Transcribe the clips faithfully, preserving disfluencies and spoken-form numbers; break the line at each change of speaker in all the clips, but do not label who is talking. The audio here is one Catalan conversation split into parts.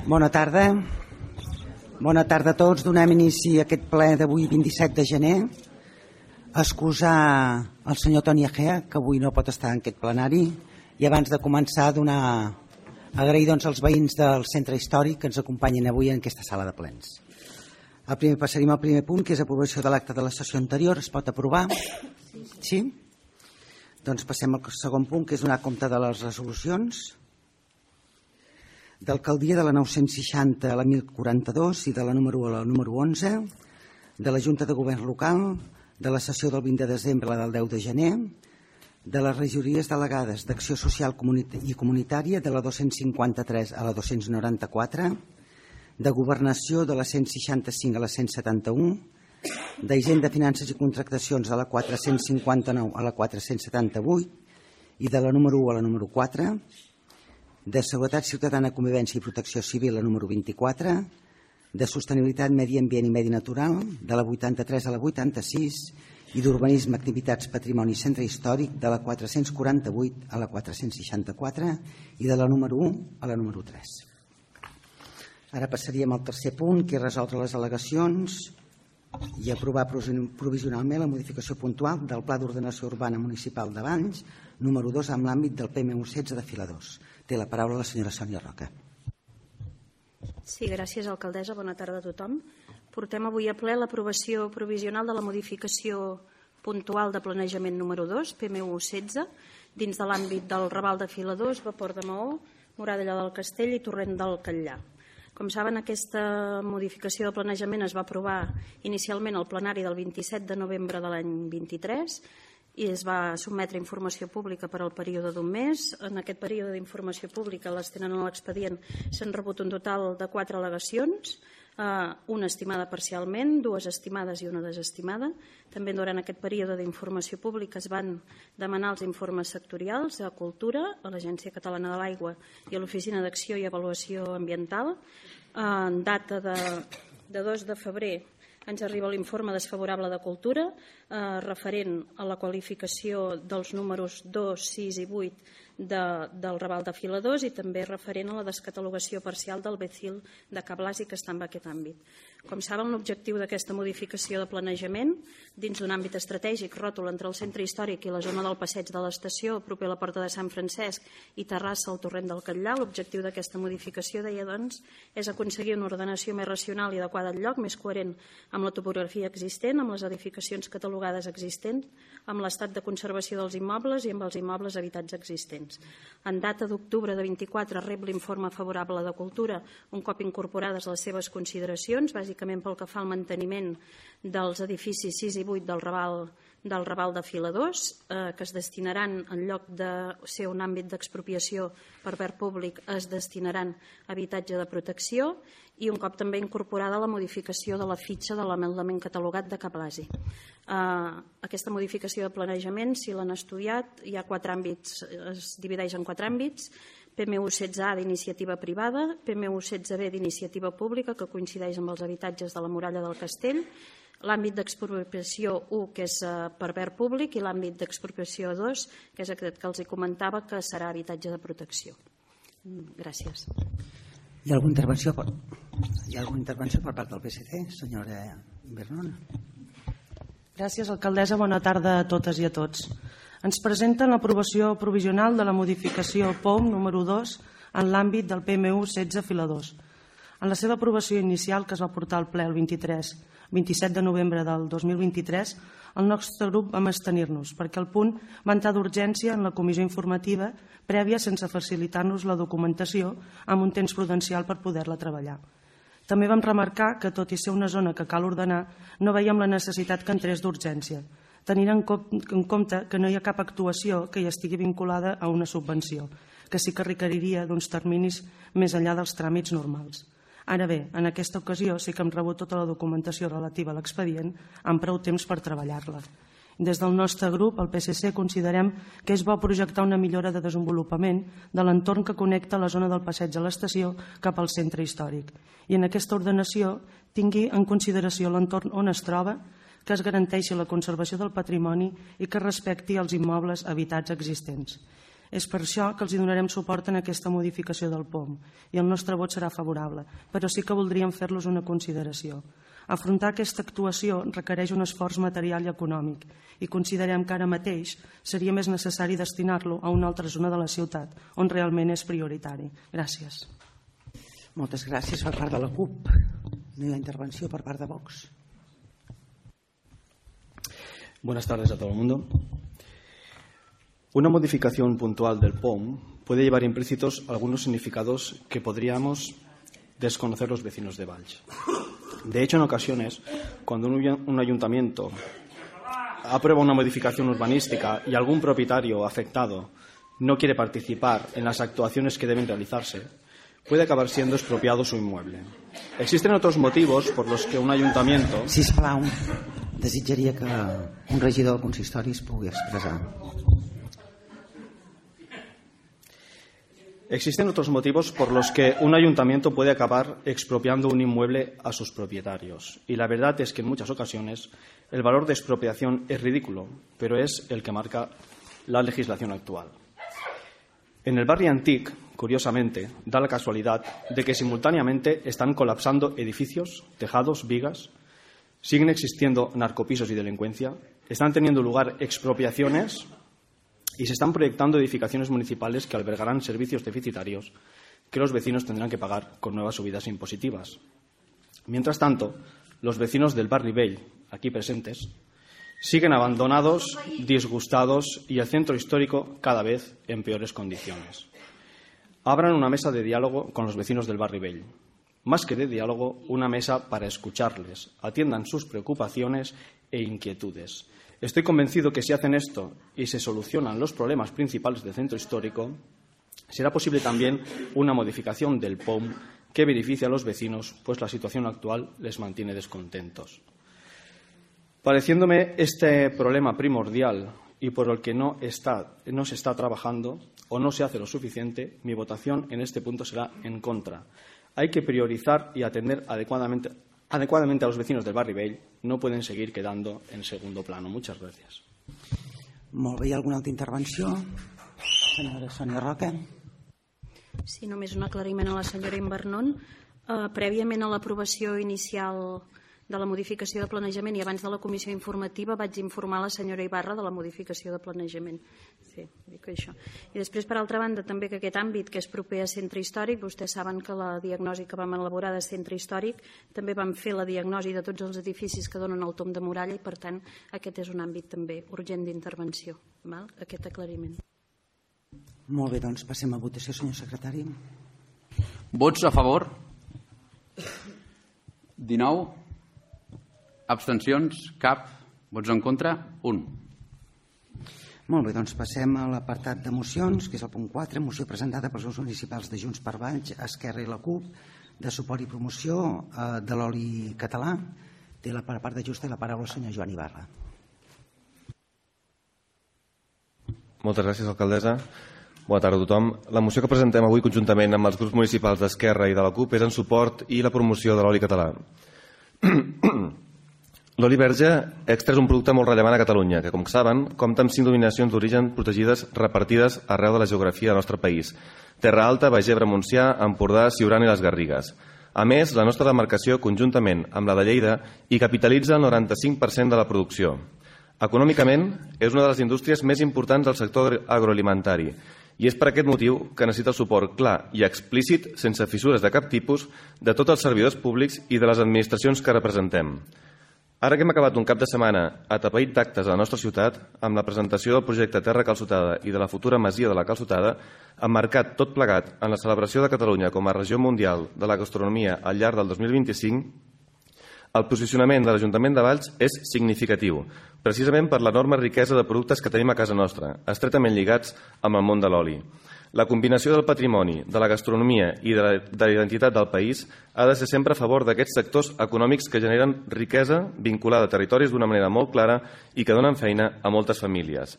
Bona tarda. Bona tarda a tots. Donem inici a aquest ple d'avui, vint-i-set de gener. Excusar el senyor Toni Egea, que avui no pot estar en aquest plenari, i abans de començar donar agrair doncs, als veïns del centre històric que ens acompanyen avui en aquesta sala de plens. El primer, passaríem al primer punt, que és aprovació de l'acte de la sessió anterior. Es pot aprovar? Sí? Doncs passem al segon punt, que és donar compte de les resolucions d'alcaldia de la nou-cents seixanta a la mil quaranta-dos i de la número a la número onze, de la Junta de Govern Local, de la sessió del vint de desembre a la del deu de gener, de les regidories delegades d'Acció Social i Comunitària de la dos-cents cinquanta-tres a la dos-cents noranta-quatre, de Governació de la cent seixanta-cinc a la cent setanta-u, d'Hisenda, Finances i Contractacions de la quatre-cents cinquanta-nou a la quatre-cents setanta-vuit i de la número u a la número quatre, de Seguretat Ciutadana, Convivència i Protecció Civil la número vint-i-quatre, de Sostenibilitat, Medi Ambient i Medi Natural de la vuitanta-tres a la vuitanta-sis i d'Urbanisme, Activitats, Patrimoni i Centre Històric de la quatre-cents quaranta-vuit a la quatre-cents seixanta-quatre i de la número u a la número tres. Ara passaríem al tercer punt, que és resoldre les al·legacions i aprovar provisionalment la modificació puntual del Pla d'Ordenació Urbana Municipal de Valls, número dos, amb l'àmbit del P M U setze de Filadors. Té la paraula la senyora Sònia Roca.
Sí, gràcies, alcaldessa. Bona tarda a tothom. Portem avui a ple l'aprovació provisional de la modificació puntual de planejament número dos, P M U setze, dins de l'àmbit del Raval de Filadors, Vapor de Maó, Moradella del Castell i Torrent del Catllà. Com saben, aquesta modificació de planejament es va aprovar inicialment al plenari del vint-i-set de novembre de l'any vint-i-tres i es va sotmetre a informació pública per al període d'un mes. En aquest període d'informació pública, les tenen a l'expedient, s'han rebut un total de quatre al·legacions, una estimada parcialment, dues estimades i una desestimada. També durant aquest període d'informació pública es van demanar els informes sectorials a Cultura, a l'Agència Catalana de l'Aigua i a l'Oficina d'Acció i Avaluació Ambiental. En data de dos de febrer ens arriba l'informe desfavorable de Cultura referent a la qualificació dels números dos, sis i vuit del Raval de Filadors i també referent a la descatalogació parcial del Becil de Cablàs i que està en aquest àmbit. Com saben, l'objectiu d'aquesta modificació de planejament dins d'un àmbit estratègic ròtol entre el centre històric i la zona del passeig de l'estació proper a la Porta de Sant Francesc i Terrassa al Torrent del Catllà, l'objectiu d'aquesta modificació, deia, doncs, és aconseguir una ordenació més racional i adequada al lloc, més coherent amb la topografia existent, amb les edificacions catalogades existents, amb l'estat de conservació dels immobles i amb els immobles habitats existents. En data d'octubre de vint-i-quatre rep l'informe favorable de Cultura un cop incorporades les seves consideracions, bàsicament pel que fa al manteniment dels edificis sis i vuit del Raval del Raval de Filadors, eh, que es destinaran, en lloc de ser un àmbit d'expropiació per verd públic, es destinaran a habitatge de protecció i un cop també incorporada la modificació de la fitxa de l'element catalogat de Cablasi. Eh, aquesta modificació de planejament, si l'han estudiat, hi ha quatre àmbits, es divideix en quatre àmbits: P M U setze A d'iniciativa privada, P M U setze B d'iniciativa pública, que coincideix amb els habitatges de la muralla del castell, l'àmbit d'expropiació u, que és per verd públic, i l'àmbit d'expropiació dos, que és aquest que els comentava, que serà habitatge de protecció. Gràcies.
Hi ha alguna intervenció per, Hi ha alguna intervenció per part del P S C? Senyora Bernon.
Gràcies, alcaldessa. Bona tarda a totes i a tots. Ens presenten l'aprovació provisional de la modificació P O M número dos en l'àmbit del P M U setze Filadors. En la seva aprovació inicial, que es va portar al ple el vint-i-set de novembre del dos mil vint-i-tres, el nostre grup vam abstenir-nos perquè el punt va entrar d'urgència en la comissió informativa prèvia sense facilitar-nos la documentació amb un temps prudencial per poder-la treballar. També vam remarcar que, tot i ser una zona que cal ordenar, no veiem la necessitat que entrés d'urgència, tenint en compte que no hi ha cap actuació que hi estigui vinculada a una subvenció, que sí que requeriria d'uns terminis més enllà dels tràmits normals. Ara bé, en aquesta ocasió sí que hem rebut tota la documentació relativa a l'expedient amb prou temps per treballar-la. Des del nostre grup, el P S C, considerem que és bo projectar una millora de desenvolupament de l'entorn que connecta la zona del passeig a l'estació cap al centre històric i en aquesta ordenació tingui en consideració l'entorn on es troba, que es garanteixi la conservació del patrimoni i que respecti els immobles habitats existents. És per això que els hi donarem suport en aquesta modificació del P O M i el nostre vot serà favorable, però sí que voldríem fer-los una consideració. Afrontar aquesta actuació requereix un esforç material i econòmic i considerem que ara mateix seria més necessari destinar-lo a una altra zona de la ciutat on realment és prioritari. Gràcies.
Moltes gràcies per part de la CUP. No hi ha intervenció per part de Vox.
Buenas tardes a todo el mundo. Una modificación puntual del P O M puede llevar implícitos algunos significados que podríamos desconocer los vecinos de Valls. De hecho, en ocasiones, cuando un ayuntamiento aprueba una modificación urbanística y algún propietario afectado no quiere participar en las actuaciones que deben realizarse, puede acabar siendo expropiado su inmueble. Existen otros motivos por los que un ayuntamiento...
Sisplau, desitjaria que un regidor del consistori es pugui expressar.
Existen otros motivos por los que un ayuntamiento puede acabar expropiando un inmueble a sus propietarios. Y la verdad es que en muchas ocasiones el valor de expropiación es ridículo, pero es el que marca la legislación actual. En el barrio Antic, curiosamente, da la casualidad de que simultáneamente están colapsando edificios, tejados, vigas, siguen existiendo narcopisos y delincuencia, están teniendo lugar expropiaciones y se están proyectando edificaciones municipales que albergarán servicios deficitarios que los vecinos tendrán que pagar con nuevas subidas impositivas. Mientras tanto, los vecinos del Barri Vell, aquí presentes, siguen abandonados, disgustados y el centro histórico cada vez en peores condiciones. Abran una mesa de diálogo con los vecinos del Barri Vell. Más que de diálogo, una mesa para escucharles, atiendan sus preocupaciones e inquietudes. Estoy convencido que si hacen esto y se solucionan los problemas principales del centro histórico, será posible también una modificación del P O M que beneficie a los vecinos, pues la situación actual les mantiene descontentos. Pareciéndome este problema primordial y por el que no, está, no se está trabajando o no se hace lo suficiente, mi votación en este punto será en contra. Hay que priorizar y atender adecuadamente, adecuadamente a los vecinos del Barri Vell. No pueden seguir quedando en segundo plano. Muchas gracias.
Molt bé, hi ha alguna altra intervenció? Senyora Sònia Roca.
Sí, només un aclariment a la senyora Invernon. Uh, prèviament a l'aprovació inicial de la modificació de planejament i abans de la comissió informativa vaig informar la senyora Ibarra de la modificació de planejament. Sí, dic això. I després, per altra banda, també que aquest àmbit que és proper a centre històric, vostès saben que la diagnosi que vam elaborar de centre històric també vam fer la diagnosi de tots els edificis que donen el tomb de muralla i, per tant, aquest és un àmbit també urgent d'intervenció, aquest aclariment.
Molt bé, doncs passem a votació, senyor secretari.
Vots a favor? dinou. Abstencions? Cap. Vots en contra? Un.
Molt bé, doncs passem a l'apartat de mocions, que és el punt quatre, moció presentada pels grups municipals de Junts per Valls, Esquerra i la CUP, de suport i promoció eh, de l'oli català. Té la part de justa i la paraula el senyor Joan Ibarra.
Moltes gràcies, alcaldessa. Bona tarda a tothom. La moció que presentem avui conjuntament amb els grups municipals d'Esquerra i de la CUP és en suport i la promoció de l'oli català. L'oli verge extra és un producte molt rellevant a Catalunya, que, com saben, compta amb cinc denominacions d'origen protegides repartides arreu de la geografia del nostre país: Terra Alta, Baix Ebre, Montsià, Empordà, Siurana i les Garrigues. A més, la nostra demarcació, conjuntament amb la de Lleida, hi capitalitza el noranta-cinc per cent de la producció. Econòmicament, és una de les indústries més importants del sector agroalimentari i és per aquest motiu que necessita el suport clar i explícit, sense fissures de cap tipus, de tots els servidors públics i de les administracions que representem. Ara que hem acabat un cap de setmana atapeït d'actes a la nostra ciutat, amb la presentació del projecte Terra Calçotada i de la futura masia de la Calçotada, emmarcat tot plegat en la celebració de Catalunya com a regió mundial de la gastronomia al llarg del dos mil vint-i-cinc, el posicionament de l'Ajuntament de Valls és significatiu, precisament per l'enorme riquesa de productes que tenim a casa nostra, estretament lligats amb el món de l'oli. La combinació del patrimoni, de la gastronomia i de la, de la identitat del país ha de ser sempre a favor d'aquests sectors econòmics que generen riquesa vinculada a territoris d'una manera molt clara i que donen feina a moltes famílies.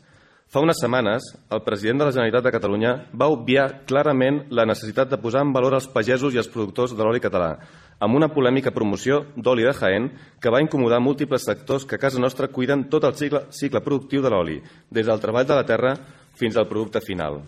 Fa unes setmanes, el president de la Generalitat de Catalunya va obviar clarament la necessitat de posar en valor els pagesos i els productors de l'oli català, amb una polèmica promoció d'oli de Jaén que va incomodar múltiples sectors que a casa nostra cuiden tot el cicle, cicle productiu de l'oli, des del treball de la terra fins al producte final.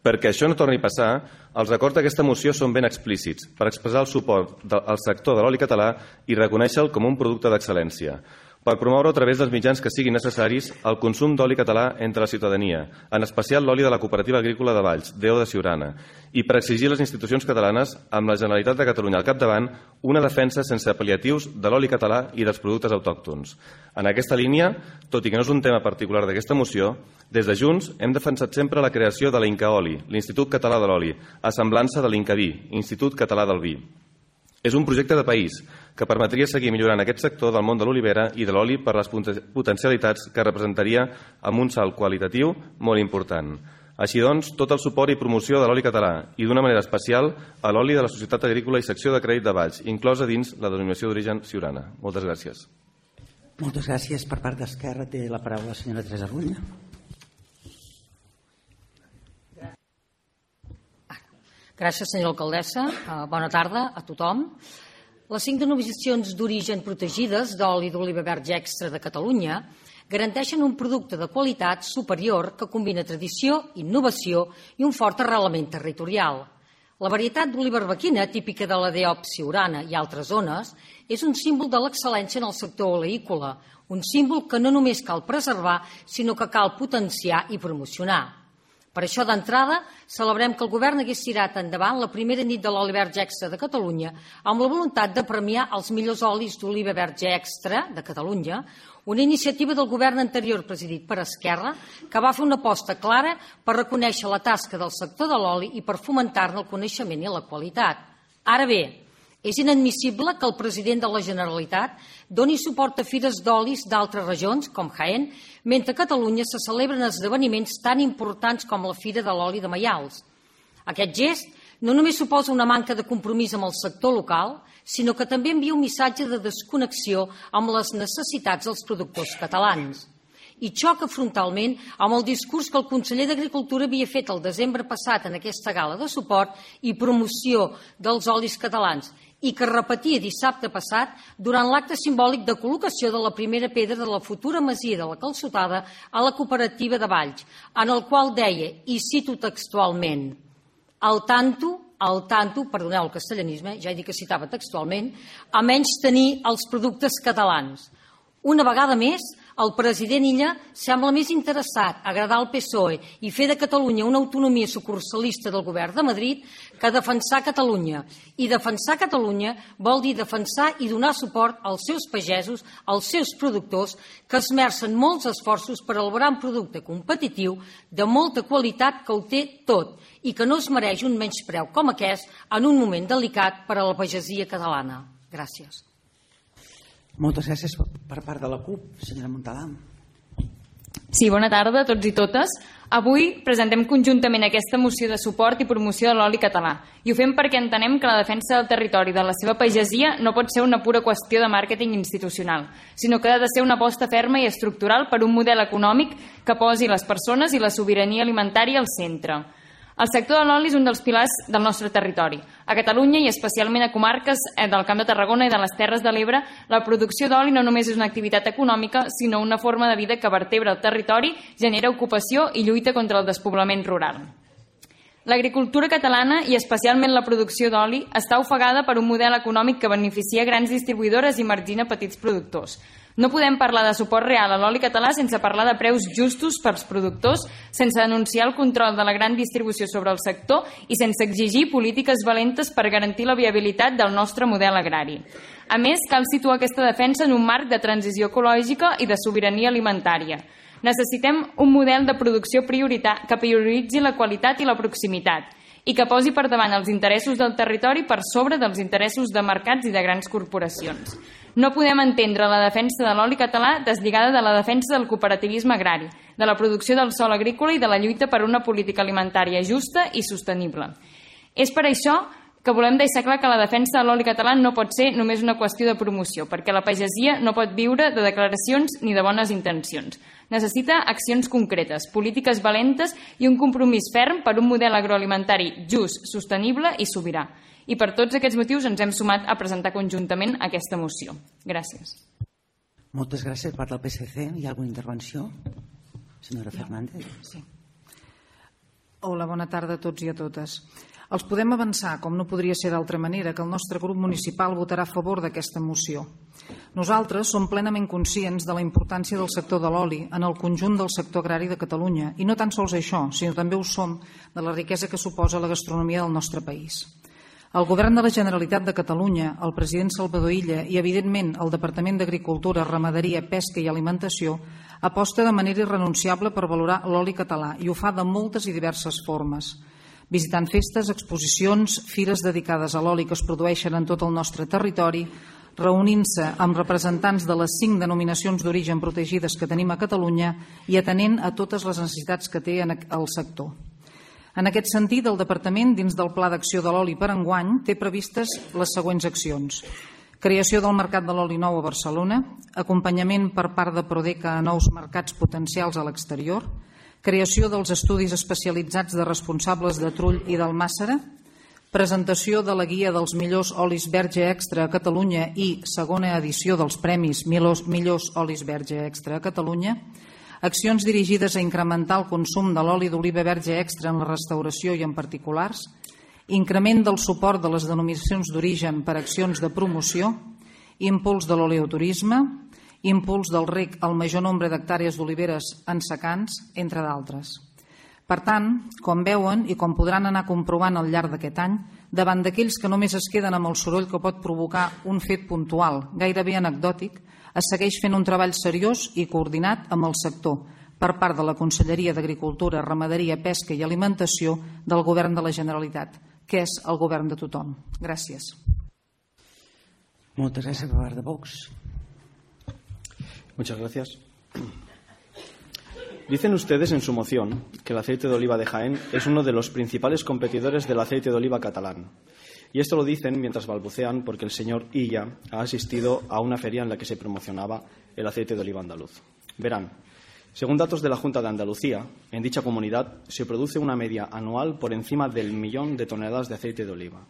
Perquè això no torni a passar, els acords d'aquesta moció són ben explícits per expressar el suport al sector de l'oli català i reconèixer-lo com un producte d'excel·lència, per promoure a través dels mitjans que siguin necessaris el consum d'oli català entre la ciutadania, en especial l'oli de la Cooperativa Agrícola de Valls, D O de Siurana, i per exigir a les institucions catalanes, amb la Generalitat de Catalunya al capdavant, una defensa sense apel·liatius de l'oli català i dels productes autòctons. En aquesta línia, tot i que no és un tema particular d'aquesta moció, des de Junts hem defensat sempre la creació de l'Incaoli, l'Institut Català de l'Oli, a semblança de l'Incavi, Institut Català del Vi. És un projecte de país que permetria seguir millorant aquest sector del món de l'olivera i de l'oli per les potencialitats que representaria amb un salt qualitatiu molt important. Així doncs, tot el suport i promoció de l'oli català i d'una manera especial a l'oli de la Societat Agrícola i Secció de Crèdit de Valls, inclosa dins la denominació d'origen Siurana. Moltes gràcies.
Moltes gràcies. Per part d'Esquerra té la paraula la senyora Teresa Rull.
Gràcies, senyora alcaldessa. Bona tarda a tothom. Les cinc denominacions d'origen protegides d'oli d'oliva verge extra de Catalunya garanteixen un producte de qualitat superior que combina tradició, innovació i un fort arrelament territorial. La varietat d'oliva arbequina, típica de la D O P Siurana i altres zones, és un símbol de l'excel·lència en el sector oleícola, un símbol que no només cal preservar, sinó que cal potenciar i promocionar. Per això, d'entrada, celebrem que el govern hagués tirat endavant la primera nit de l'oli verge extra de Catalunya amb la voluntat de premiar els millors olis d'oliva verge extra de Catalunya, una iniciativa del govern anterior presidit per Esquerra que va fer una aposta clara per reconèixer la tasca del sector de l'oli i per fomentar-ne el coneixement i la qualitat. Ara bé, és inadmissible que el president de la Generalitat doni suport a fires d'olis d'altres regions, com Jaén, mentre a Catalunya se celebren esdeveniments tan importants com la Fira de l'Oli de Maials. Aquest gest no només suposa una manca de compromís amb el sector local, sinó que també envia un missatge de desconnexió amb les necessitats dels productors catalans. I xoca frontalment amb el discurs que el conseller d'Agricultura havia fet el desembre passat en aquesta gala de suport i promoció dels olis catalans i que repetia dissabte passat durant l'acte simbòlic de col·locació de la primera pedra de la futura masia de la Calçotada a la cooperativa de Valls, en el qual deia, i cito textualment, al tanto, al tanto, perdoneu el castellanisme, ja he dit que citava textualment, a menys tenir els productes catalans. Una vegada més, el president Illa sembla més interessat a agradar al P S O E i fer de Catalunya una autonomia sucursalista del govern de Madrid que defensar Catalunya. I defensar Catalunya vol dir defensar i donar suport als seus pagesos, als seus productors, que esmercen molts esforços per elaborar un producte competitiu de molta qualitat que ho té tot i que no es mereix un menyspreu com aquest en un moment delicat per a la pagesia catalana. Gràcies.
Moltes gràcies per part de la CUP, senyora Montalà.
Sí, bona tarda a tots i totes. Avui presentem conjuntament aquesta moció de suport i promoció de l'oli català. I ho fem perquè entenem que la defensa del territori i de la seva pagesia no pot ser una pura qüestió de màrqueting institucional, sinó que ha de ser una aposta ferma i estructural per un model econòmic que posi les persones i la sobirania alimentària al centre. El sector de l'oli és un dels pilars del nostre territori. A Catalunya i especialment a comarques del Camp de Tarragona i de les Terres de l'Ebre, la producció d'oli no només és una activitat econòmica, sinó una forma de vida que vertebra el territori, genera ocupació i lluita contra el despoblament rural. L'agricultura catalana, i especialment la producció d'oli, està ofegada per un model econòmic que beneficia grans distribuïdores i margina petits productors. No podem parlar de suport real a l'oli català sense parlar de preus justos pels productors, sense denunciar el control de la gran distribució sobre el sector i sense exigir polítiques valentes per garantir la viabilitat del nostre model agrari. A més, cal situar aquesta defensa en un marc de transició ecològica i de sobirania alimentària. Necessitem un model de producció que prioritzi la qualitat i la proximitat i que posi per davant els interessos del territori per sobre dels interessos de mercats i de grans corporacions. No podem entendre la defensa de l'oli català deslligada de la defensa del cooperativisme agrari, de la producció del sòl agrícola i de la lluita per una política alimentària justa i sostenible. És per això que volem deixar clar que la defensa de l'oli català no pot ser només una qüestió de promoció, perquè la pagesia no pot viure de declaracions ni de bones intencions. Necessita accions concretes, polítiques valentes i un compromís ferm per un model agroalimentari just, sostenible i sobirà. I per tots aquests motius ens hem sumat a presentar conjuntament aquesta moció. Gràcies.
Moltes gràcies per part del P S C. Hi ha alguna intervenció? Senyora Fernández.
Sí.
Hola, bona tarda a tots i a totes. Els podem avançar, com no podria ser d'altra manera, que el nostre grup municipal votarà a favor d'aquesta moció. Nosaltres som plenament conscients de la importància del sector de l'oli en el conjunt del sector agrari de Catalunya, i no tan sols això, sinó també ho som de la riquesa que suposa la gastronomia del nostre país. El Govern de la Generalitat de Catalunya, el president Salvador Illa i, evidentment, el Departament d'Agricultura, Ramaderia, Pesca i Alimentació aposta de manera irrenunciable per valorar l'oli català i ho fa de moltes i diverses formes, visitant festes, exposicions, fires dedicades a l'oli que es produeixen en tot el nostre territori, reunint-se amb representants de les cinc denominacions d'origen protegides que tenim a Catalunya i atenent a totes les necessitats que té el sector. En aquest sentit, el Departament, dins del Pla d'Acció de l'Oli per enguany, té previstes les següents accions. Creació del Mercat de l'Oli Nou a Barcelona, acompanyament per part de Prodeca a nous mercats potencials a l'exterior, creació dels estudis especialitzats de responsables de Trull i d'Almàssera, presentació de la guia dels millors olis verge extra a Catalunya i segona edició dels premis Millors olis verge extra a Catalunya, accions dirigides a incrementar el consum de l'oli d'oliva verge extra en la restauració i en particulars, increment del suport de les denominacions d'origen per accions de promoció, impuls de l'oleoturisme, impuls del reg al major nombre d'hectàrees d'oliveres en secans, entre d'altres. Per tant, com veuen i com podran anar comprovant al llarg d'aquest any, davant d'aquells que només es queden amb el soroll que pot provocar un fet puntual, gairebé anecdòtic, es segueix fent un treball seriós i coordinat amb el sector per part de la Conselleria d'Agricultura, Ramaderia, Pesca i Alimentació del Govern de la Generalitat, que és el govern de tothom. Gràcies.
Moltes gràcies per part de Vox.
Muchas gracias. Dicen ustedes en su moción que el aceite de oliva de Jaén es uno de los principales competidores del aceite de oliva catalán. Y esto lo dicen mientras balbucean porque el señor Illa ha asistido a una feria en la que se promocionaba el aceite de oliva andaluz. Verán, según datos de la Junta de Andalucía, en dicha comunidad se produce una media anual por encima del millón de toneladas de aceite de oliva,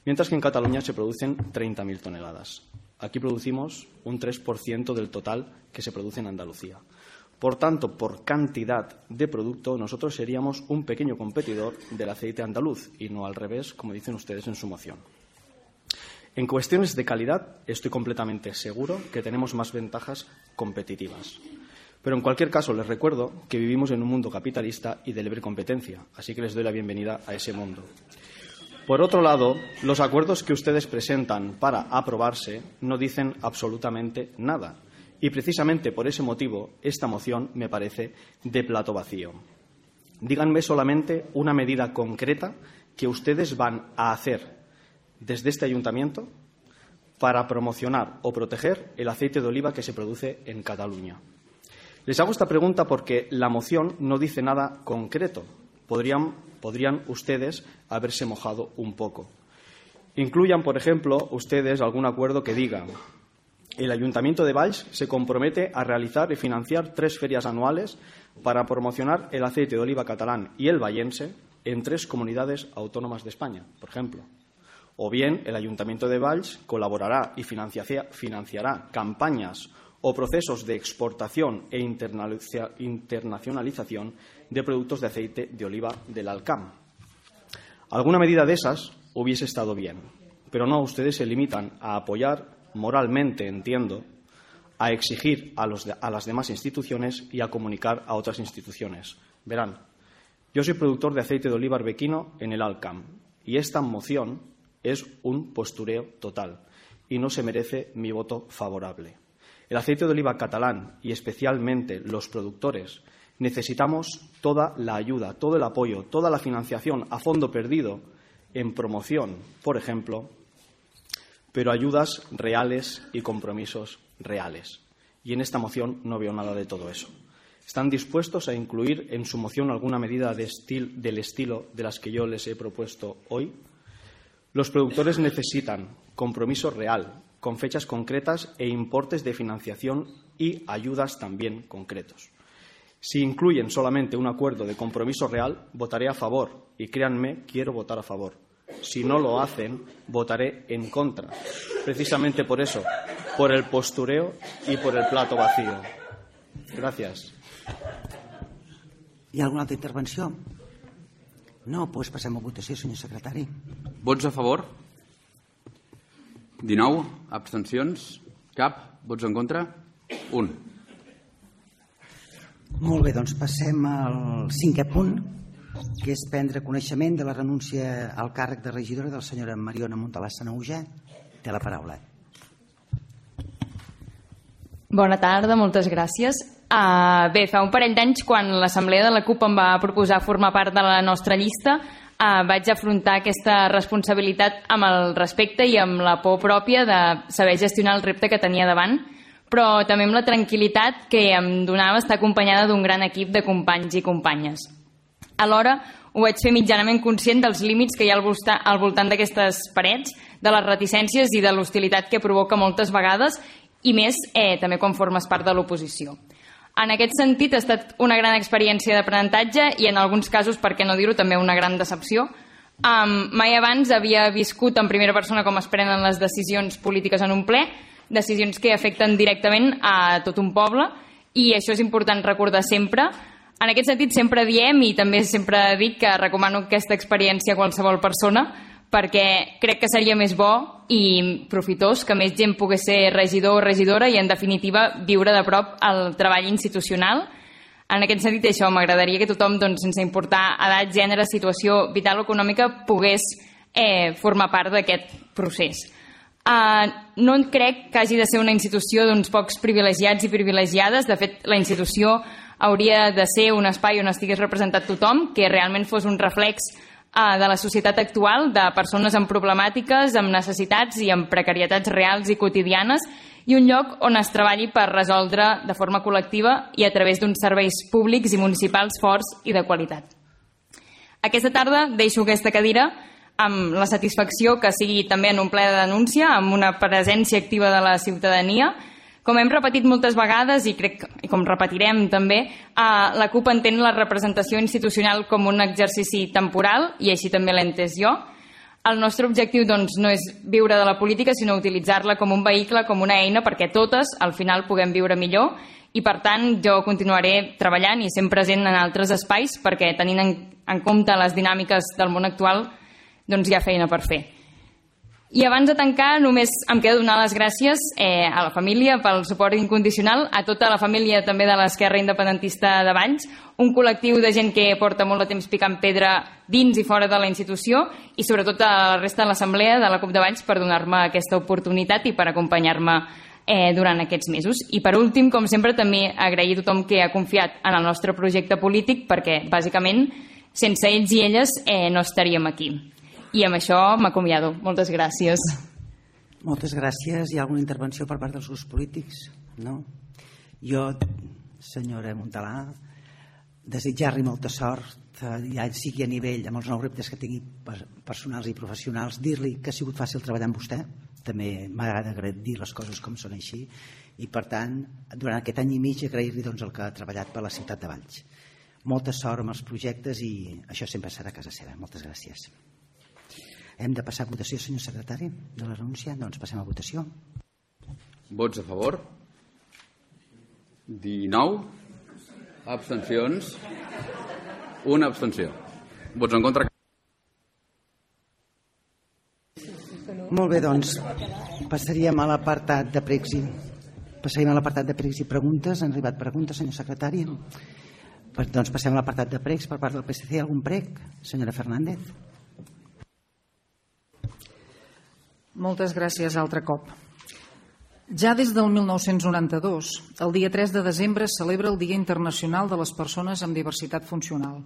mientras que en Cataluña se producen treinta mil toneladas. Aquí producimos un tres por ciento del total que se produce en Andalucía. Por tanto, por cantidad de producto, nosotros seríamos un pequeño competidor del aceite andaluz y no al revés, como dicen ustedes en su moción. En cuestiones de calidad, estoy completamente seguro que tenemos más ventajas competitivas. Pero en cualquier caso, les recuerdo que vivimos en un mundo capitalista y de libre competencia, así que les doy la bienvenida a ese mundo. Por otro lado, los acuerdos que ustedes presentan para aprobarse no dicen absolutamente nada. Y precisamente por ese motivo, esta moción me parece de plato vacío. Díganme solamente una medida concreta que ustedes van a hacer desde este ayuntamiento para promocionar o proteger el aceite de oliva que se produce en Cataluña. Les hago esta pregunta porque la moción no dice nada concreto. Podrían, podrían ustedes haberse mojado un poco. Incluyan, por ejemplo, ustedes algún acuerdo que diga: el Ayuntamiento de Valls se compromete a realizar y financiar tres ferias anuales para promocionar el aceite de oliva catalán y el vallense en tres comunidades autónomas de España, por ejemplo. O bien, el Ayuntamiento de Valls colaborará y financiará campañas o procesos de exportación e internacionalización de productos de aceite de oliva del Alcam. Alguna medida de esas hubiese estado bien, pero no, ustedes se limitan a apoyar moralmente, entiendo, a exigir a, los de, a las demás instituciones y a comunicar a otras instituciones. Verán, yo soy productor de aceite de oliva arbequino en el Alcam y esta moción es un postureo total y no se merece mi voto favorable. El aceite de oliva catalán y especialmente los productores necesitamos toda la ayuda, todo el apoyo, toda la financiación a fondo perdido en promoción, por ejemplo, pero ayudas reales y compromisos reales. Y en esta moción no veo nada de todo eso. ¿Están dispuestos a incluir en su moción alguna medida de estil, del estilo de las que yo les he propuesto hoy? Los productores necesitan compromiso real, con fechas concretas e importes de financiación y ayudas también concretos. Si incluyen solamente un acuerdo de compromiso real, votaré a favor y créanme, quiero votar a favor. Si no lo hacen, votaré en contra. Precisamente por eso, por el postureo y por el plato vacío. Gracias.
Hi ha alguna altra intervenció? No, doncs passem a votació, senyor secretari.
Vots a favor? dinou. Abstencions? Cap. Vots en contra? Un.
Molt bé, doncs passem al cinquè punt, que és prendre coneixement de la renúncia al càrrec de regidora de la senyora Mariona Montalà Sanahuja. Té la paraula.
Bona tarda, moltes gràcies. Uh, bé, fa un parell d'anys, quan l'Assemblea de la CUP em va proposar formar part de la nostra llista, uh, vaig afrontar aquesta responsabilitat amb el respecte i amb la por pròpia de saber gestionar el repte que tenia davant, però també amb la tranquil·litat que em donava estar acompanyada d'un gran equip de companys i companyes. Alhora, ho vaig fer mitjanament conscient dels límits que hi ha al voltant d'aquestes parets, de les reticències i de l'hostilitat que provoca moltes vegades, i més eh, també quan formes part de l'oposició. En aquest sentit, ha estat una gran experiència d'aprenentatge i en alguns casos, per què no dir-ho, també una gran decepció. Um, mai abans havia viscut en primera persona com es prenen les decisions polítiques en un ple, decisions que afecten directament a tot un poble, i això és important recordar sempre. En aquest sentit, sempre diem, i també sempre dic, que recomano aquesta experiència a qualsevol persona, perquè crec que seria més bo i profitós que més gent pogués ser regidor o regidora i, en definitiva, viure de prop el treball institucional. En aquest sentit, això, m'agradaria que tothom, doncs, sense importar edat, gènere, situació vital o econòmica, pogués eh, formar part d'aquest procés. Uh, no crec que hagi de ser una institució d'uns pocs privilegiats i privilegiades. De fet, la institució hauria de ser un espai on estigués representat tothom, que realment fos un reflex de la societat actual, de persones amb problemàtiques, amb necessitats i amb precarietats reals i quotidianes, i un lloc on es treballi per resoldre de forma col·lectiva i a través d'uns serveis públics i municipals forts i de qualitat. Aquesta tarda deixo aquesta cadira amb la satisfacció que sigui també en un ple de denúncia, amb una presència activa de la ciutadania. Com hem repetit moltes vegades, i crec i com repetirem també, eh, la CUP entén la representació institucional com un exercici temporal, i així també l'he entès jo. El nostre objectiu, doncs, no és viure de la política, sinó utilitzar-la com un vehicle, com una eina, perquè totes, al final, puguem viure millor, i per tant jo continuaré treballant i sent present en altres espais, perquè tenint en, en compte les dinàmiques del món actual, doncs hi ha feina per fer. I abans de tancar, només em queda donar les gràcies eh, a la família pel suport incondicional, a tota la família també de l'Esquerra Independentista de Valls, un col·lectiu de gent que porta molt de temps picant pedra dins i fora de la institució, i sobretot a la resta de l'Assemblea de la CUP de Valls per donar-me aquesta oportunitat i per acompanyar-me eh, durant aquests mesos. I per últim, com sempre, també agrair a tothom que ha confiat en el nostre projecte polític, perquè bàsicament sense ells i elles eh, no estaríem aquí. I amb això m'acomiado. Moltes gràcies.
Moltes gràcies. Hi ha alguna intervenció per part dels grups polítics? No? Jo, senyora Montalà, desitjar-li molta sort, ja sigui a nivell amb els nous reptes que tingui personals i professionals, dir-li que ha sigut fàcil treballar amb vostè. També m'agrada dir les coses com són així, i per tant, durant aquest any i mig agrair-li doncs, el que ha treballat per la ciutat de Valls. Molta sort amb els projectes i això sempre serà a casa seva. Moltes gràcies. Hem de passar a votació, senyor secretari, de la renúncia? Doncs passem a votació.
Vots a favor? dinou. Abstencions? Una abstenció. Vots en contra?
Molt bé, doncs passaríem a l'apartat de pregs i passaríem a l'apartat de pregs i preguntes. Han arribat preguntes, senyor secretari? Doncs passem a l'apartat de pregs per part del P S C. Algun preg? Senyora Fernández.
Moltes gràcies altre cop. Ja des del mil nou-cents noranta-dos, el dia tres de desembre es celebra el Dia Internacional de les Persones amb Diversitat Funcional,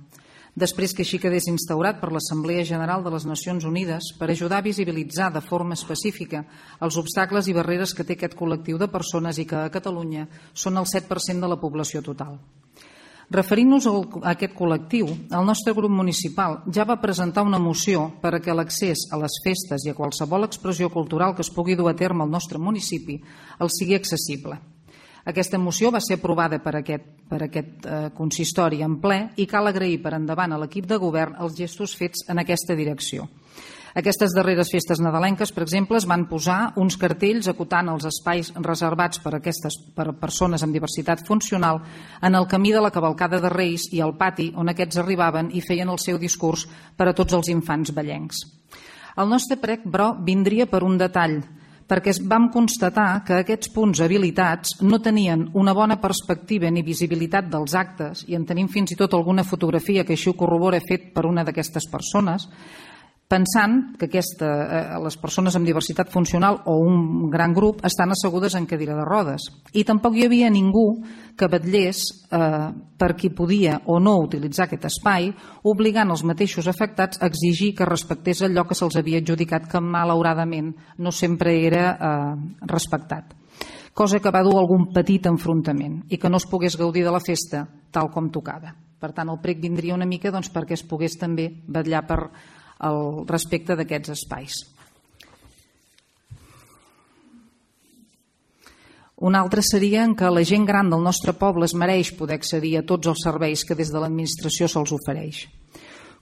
després que així quedés instaurat per l'Assemblea General de les Nacions Unides per ajudar a visibilitzar de forma específica els obstacles i barreres que té aquest col·lectiu de persones i que a Catalunya són el set per cent de la població total. Referint-nos a aquest col·lectiu, el nostre grup municipal ja va presentar una moció per a que l'accés a les festes i a qualsevol expressió cultural que es pugui dur a terme al nostre municipi el sigui accessible. Aquesta moció va ser aprovada per aquest, per aquest eh, consistori en ple i cal agrair per endavant a l'equip de govern els gestos fets en aquesta direcció. Aquestes darreres festes nadalenques, per exemple, es van posar uns cartells acotant els espais reservats per a aquestes per a persones amb diversitat funcional en el camí de la cavalcada de Reis i al pati on aquests arribaven i feien el seu discurs per a tots els infants vellencs. El nostre prec, però, vindria per un detall, perquè vam constatar que aquests punts habilitats no tenien una bona perspectiva ni visibilitat dels actes, i en tenim fins i tot alguna fotografia que així ho corrobora fet per una d'aquestes persones, pensant que aquesta, eh, les persones amb diversitat funcional o un gran grup estan assegudes en cadira de rodes. I tampoc hi havia ningú que vetllés eh, per qui podia o no utilitzar aquest espai, obligant els mateixos afectats a exigir que respectés allò que se'ls havia adjudicat, que malauradament no sempre era eh, respectat. Cosa que va dur algun petit enfrontament i que no es pogués gaudir de la festa tal com tocava. Per tant, el prec vindria una mica doncs, perquè es pogués també vetllar per al respecte d'aquests espais. Un altre seria que la gent gran del nostre poble es mereix poder accedir a tots els serveis que des de l'administració se'ls ofereix.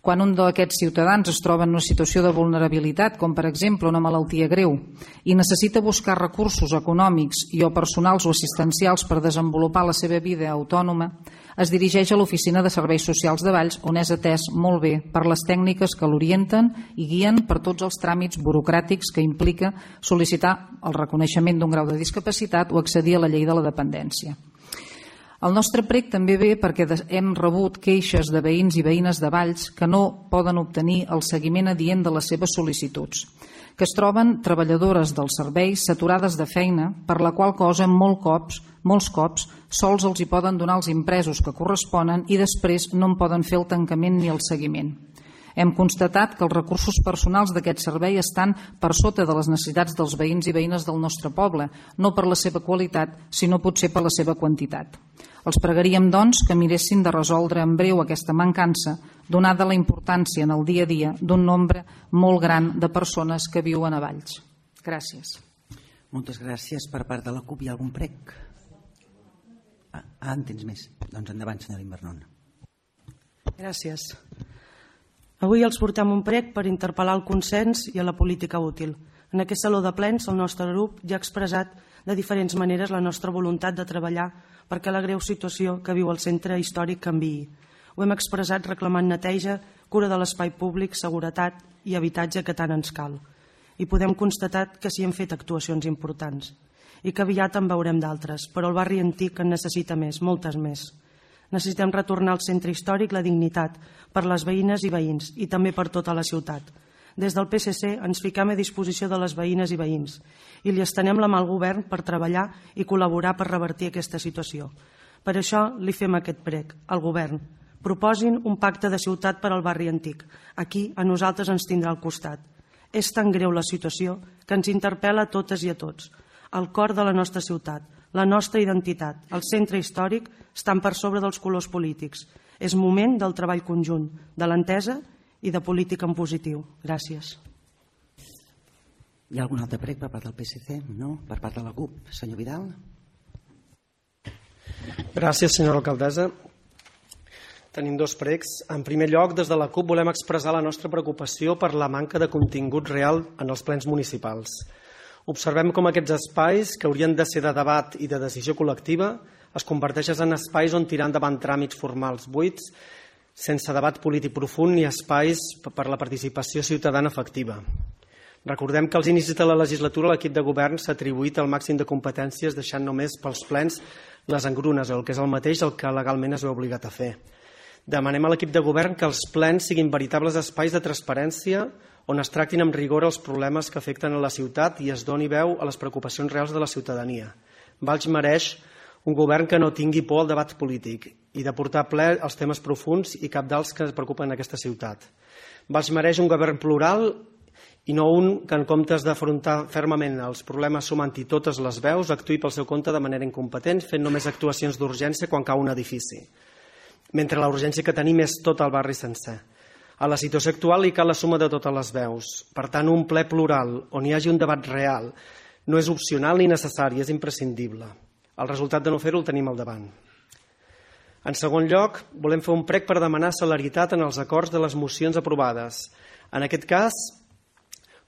Quan un d'aquests ciutadans es troba en una situació de vulnerabilitat, com per exemple una malaltia greu, i necessita buscar recursos econòmics i o personals o assistencials per desenvolupar la seva vida autònoma, es dirigeix a l'Oficina de Serveis Socials de Valls, on és atès molt bé per les tècniques que l'orienten i guien per tots els tràmits burocràtics que implica sol·licitar el reconeixement d'un grau de discapacitat o accedir a la llei de la dependència. El nostre prec també ve perquè hem rebut queixes de veïns i veïnes de Valls que no poden obtenir el seguiment adient de les seves sol·licituds, que es troben treballadores dels serveis saturades de feina, per la qual cosa molt cops, molts cops sols els hi poden donar els impresos que corresponen i després no en poden fer el tancament ni el seguiment. Hem constatat que els recursos personals d'aquest servei estan per sota de les necessitats dels veïns i veïnes del nostre poble, no per la seva qualitat, sinó potser per la seva quantitat. Els pregaríem, doncs, que miressin de resoldre en breu aquesta mancança, donada la importància en el dia a dia d'un nombre molt gran de persones que viuen a Valls. Gràcies.
Moltes gràcies. Per part de la CUP hi ha algun prec? Ah, en tens més. Doncs endavant, senyora Invernon.
Gràcies. Avui els portem un prec per interpel·lar el consens i a la política útil. En aquest saló de plens el nostre grup ja ha expressat de diferents maneres la nostra voluntat de treballar perquè la greu situació que viu el centre històric canviï. Ho hem expressat reclamant neteja, cura de l'espai públic, seguretat i habitatge que tant ens cal. I podem constatar que s'hi han fet actuacions importants i que aviat en veurem d'altres, però el barri antic en necessita més, moltes més. Necessitem retornar al centre històric la dignitat per les veïnes i veïns i també per tota la ciutat. Des del P S C ens fiquem a disposició de les veïnes i veïns i li estenem la mà al govern per treballar i col·laborar per revertir aquesta situació. Per això li fem aquest prec al govern. Proposin un pacte de ciutat per al barri antic. Aquí a nosaltres ens tindrà al costat. És tan greu la situació que ens interpel·la a totes i a tots. El cor de la nostra ciutat, la nostra identitat, el centre històric estan per sobre dels colors polítics. És moment del treball conjunt, de l'entesa i de política en positiu. Gràcies.
Hi ha algun altre prec per part del P S C? No? Per part de la CUP? Senyor Vidal?
Gràcies, senyora alcaldessa. Tenim dos precs. En primer lloc, des de la CUP volem expressar la nostra preocupació per la manca de contingut real en els plens municipals. Observem com aquests espais, que haurien de ser de debat i de decisió col·lectiva, es converteixen en espais on tirar endavant tràmits formals buits, sense debat polític profund ni espais per la participació ciutadana efectiva. Recordem que als inicis de la legislatura l'equip de govern s'ha atribuït el màxim de competències, deixant només pels plens les engrunes, el que és el mateix el que legalment es veu obligat a fer. Demanem a l'equip de govern que els plens siguin veritables espais de transparència on es tractin amb rigor els problemes que afecten a la ciutat i es doni veu a les preocupacions reals de la ciutadania. Valls mereix un govern que no tingui por al debat polític i de portar a ple els temes profunds i cabdals que ens preocupen en aquesta ciutat. Valls mereix un govern plural i no un que, en comptes d'afrontar fermament els problemes sumant-hi totes les veus, actuï pel seu compte de manera incompetent, fent només actuacions d'urgència quan cau un edifici, mentre la urgència que tenim és tot el barri sencer. A la situació actual hi cal la suma de totes les veus. Per tant, un ple plural on hi hagi un debat real no és opcional ni necessari, és imprescindible. El resultat de no fer-ho el tenim al davant. En segon lloc, volem fer un prec per demanar celeritat en els acords de les mocions aprovades. En aquest cas,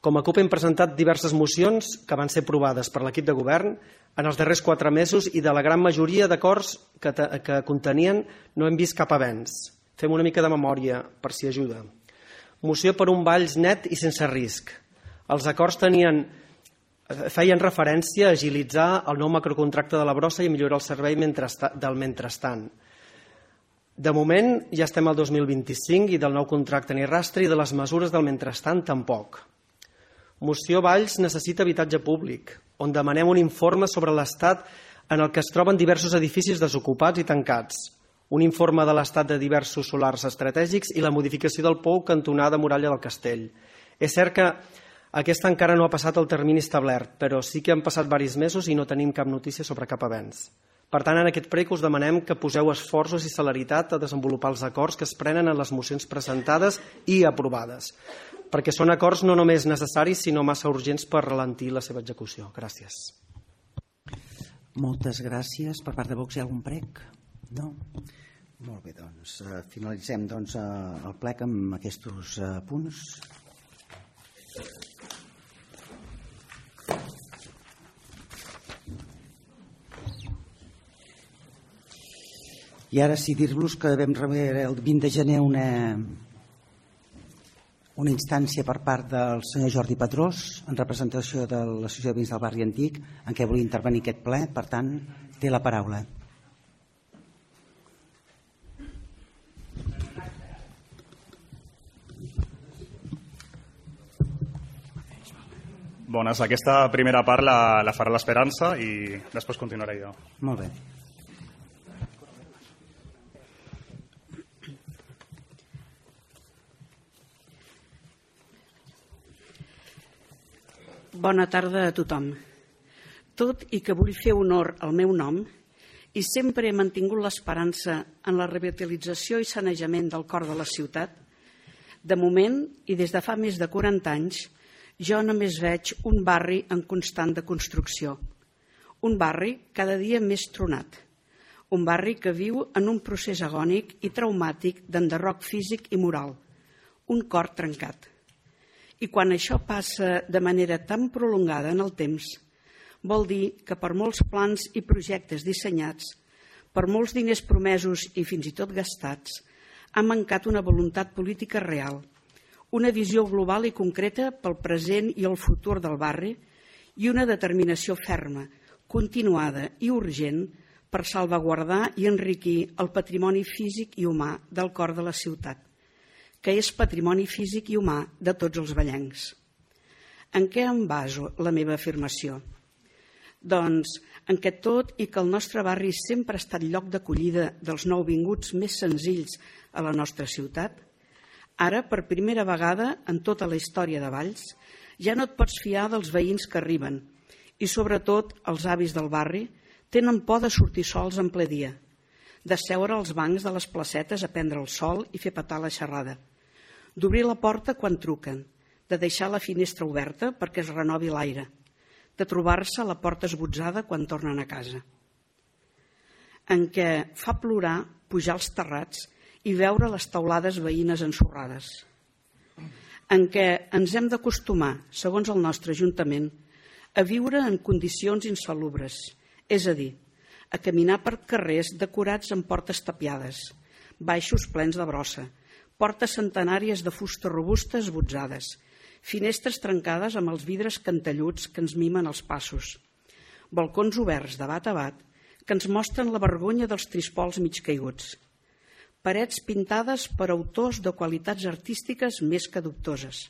Com a CUP hem presentat diverses mocions que van ser aprovades per l'equip de govern en els darrers quatre mesos i de la gran majoria d'acords que, que contenien no hem vist cap avenç. Fem una mica de memòria per si ajuda. Moció per un Valls net i sense risc. Els acords tenien, feien referència a agilitzar el nou macrocontracte de la brossa i millorar el servei del mentrestant. De moment ja estem al dos mil vint-i-cinc i del nou contracte ni rastre i de les mesures del mentrestant tampoc. Moció Valls necessita habitatge públic, on demanem un informe sobre l'estat en el que es troben diversos edificis desocupats i tancats, un informe de l'estat de diversos solars estratègics i la modificació del pou cantonada Muralla del Castell. És cert que aquesta encara no ha passat el termini establert, però sí que han passat diversos mesos i no tenim cap notícia sobre cap avenç. Per tant, en aquest prec us demanem que poseu esforços i celeritat a desenvolupar els acords que es prenen en les mocions presentades i aprovades, perquè són acords no només necessaris, sinó massa urgents per ralentir la seva execució. Gràcies.
Moltes gràcies. Per part de Vox hi ha algun prec? No? Molt bé, doncs finalitzem doncs, el plec amb aquests punts. I ara sí dir-vos que vam rebre el vint de gener una, una instància per part del senyor Jordi Padrós en representació de l'Associació de Veïns del Barri Antic en què volia intervenir aquest ple, per tant té la paraula.
Bones, aquesta primera part la, la farà l'Esperança i després continuaré jo.
Molt bé.
Bona tarda a tothom. Tot i que vull fer honor al meu nom i sempre he mantingut l'esperança en la revitalització i sanejament del cor de la ciutat, de moment i des de fa més de quaranta anys jo només veig un barri en constant de construcció, un barri cada dia més tronat, un barri que viu en un procés agònic i traumàtic d'enderroc físic i moral, un cor trencat. I quan això passa de manera tan prolongada en el temps, vol dir que per molts plans i projectes dissenyats, per molts diners promesos i fins i tot gastats, ha mancat una voluntat política real, una visió global i concreta pel present i el futur del barri i una determinació ferma, continuada i urgent per salvaguardar i enriquir el patrimoni físic i humà del cor de la ciutat, que és patrimoni físic i humà de tots els vallencs. En què em baso la meva afirmació? Doncs en què tot i que el nostre barri sempre ha estat lloc d'acollida dels nouvinguts més senzills a la nostra ciutat, ara, per primera vegada en tota la història de Valls, ja no et pots fiar dels veïns que arriben i, sobretot, els avis del barri tenen por de sortir sols en ple dia, de seure als bancs de les placetes a prendre el sol i fer petar la xerrada, d'obrir la porta quan truquen, de deixar la finestra oberta perquè es renovi l'aire, de trobar-se a la porta esbotzada quan tornen a casa. En què fa plorar pujar als terrats i veure les teulades veïnes ensorrades. En què ens hem d'acostumar, segons el nostre Ajuntament, a viure en condicions insalubres, és a dir, a caminar per carrers decorats amb portes tapiades, baixos plens de brossa, portes centenàries de fusta robusta esbotzades, finestres trencades amb els vidres cantelluts que ens mimen els passos, balcons oberts de bat a bat que ens mostren la vergonya dels trispols mig caiguts, parets pintades per autors de qualitats artístiques més que dubtoses,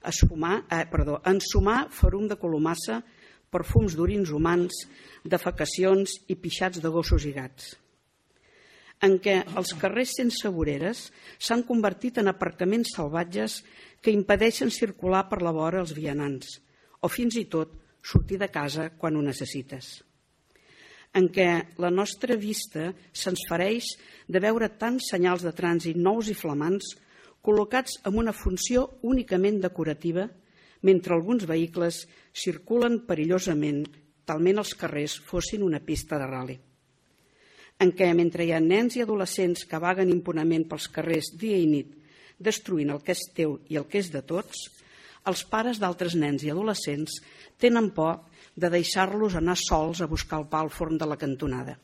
Esfumar, eh, perdó, ensumar ferum de colomassa, perfums d'orins humans, defecacions i pixats de gossos i gats. En què els carrers sense voreres s'han convertit en aparcaments salvatges que impedeixen circular per la vora els vianants o fins i tot sortir de casa quan ho necessites. En què la nostra vista se'ns fereix de veure tants senyals de trànsit nous i flamants col·locats amb una funció únicament decorativa mentre alguns vehicles circulen perillosament, talment els carrers fossin una pista de ral·li. En què, mentre hi ha nens i adolescents que vaguen impunement pels carrers dia i nit, destruint el que és teu i el que és de tots, els pares d'altres nens i adolescents tenen por de deixar-los anar sols a buscar el pa al forn de la cantonada.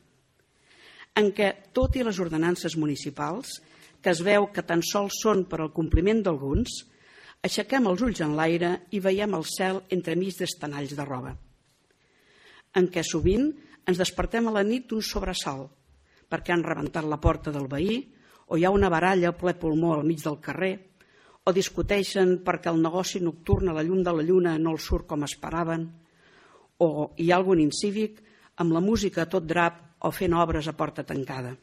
En què, tot i les ordenances municipals, que es veu que tan sols són per al compliment d'alguns, aixequem els ulls en l'aire i veiem el cel entremig d'estanalls de roba. En què sovint ens despertem a la nit d'un sobresalt, perquè han rebentat la porta del veí, o hi ha una baralla a ple pulmó al mig del carrer, o discuteixen perquè el negoci nocturn a la llum de la lluna no els surt com esperaven, o hi ha algun incívic amb la música a tot drap o fent obres a porta tancada.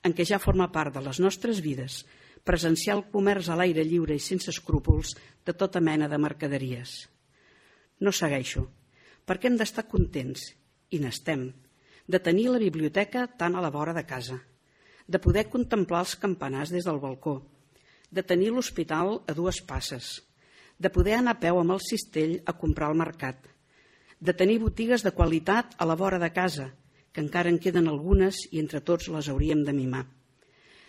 En què ja forma part de les nostres vides presenciar el comerç a l'aire lliure i sense escrúpols de tota mena de mercaderies. No segueixo, perquè hem d'estar contents, i n'estem, de tenir la biblioteca tan a la vora de casa, de poder contemplar els campanars des del balcó, de tenir l'hospital a dues passes, de poder anar a peu amb el cistell a comprar al mercat, de tenir botigues de qualitat a la vora de casa, que encara en queden algunes i entre tots les hauríem de mimar,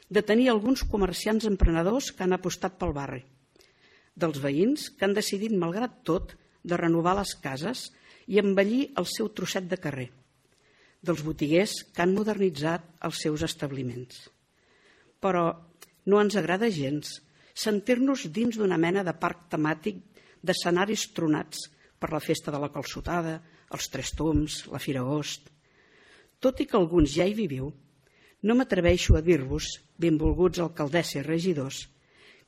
de tenir alguns comerciants emprenedors que han apostat pel barri, dels veïns que han decidit, malgrat tot, de renovar les cases i embellir el seu trosset de carrer, dels botiguers que han modernitzat els seus establiments. Però no ens agrada gens sentir-nos dins d'una mena de parc temàtic d'escenaris tronats per la festa de la calçotada, els Tres Tombs, la Fira Agost. Tot i que alguns ja hi viviu, no m'atreveixo a dir-vos, benvolguts alcaldessa i regidors,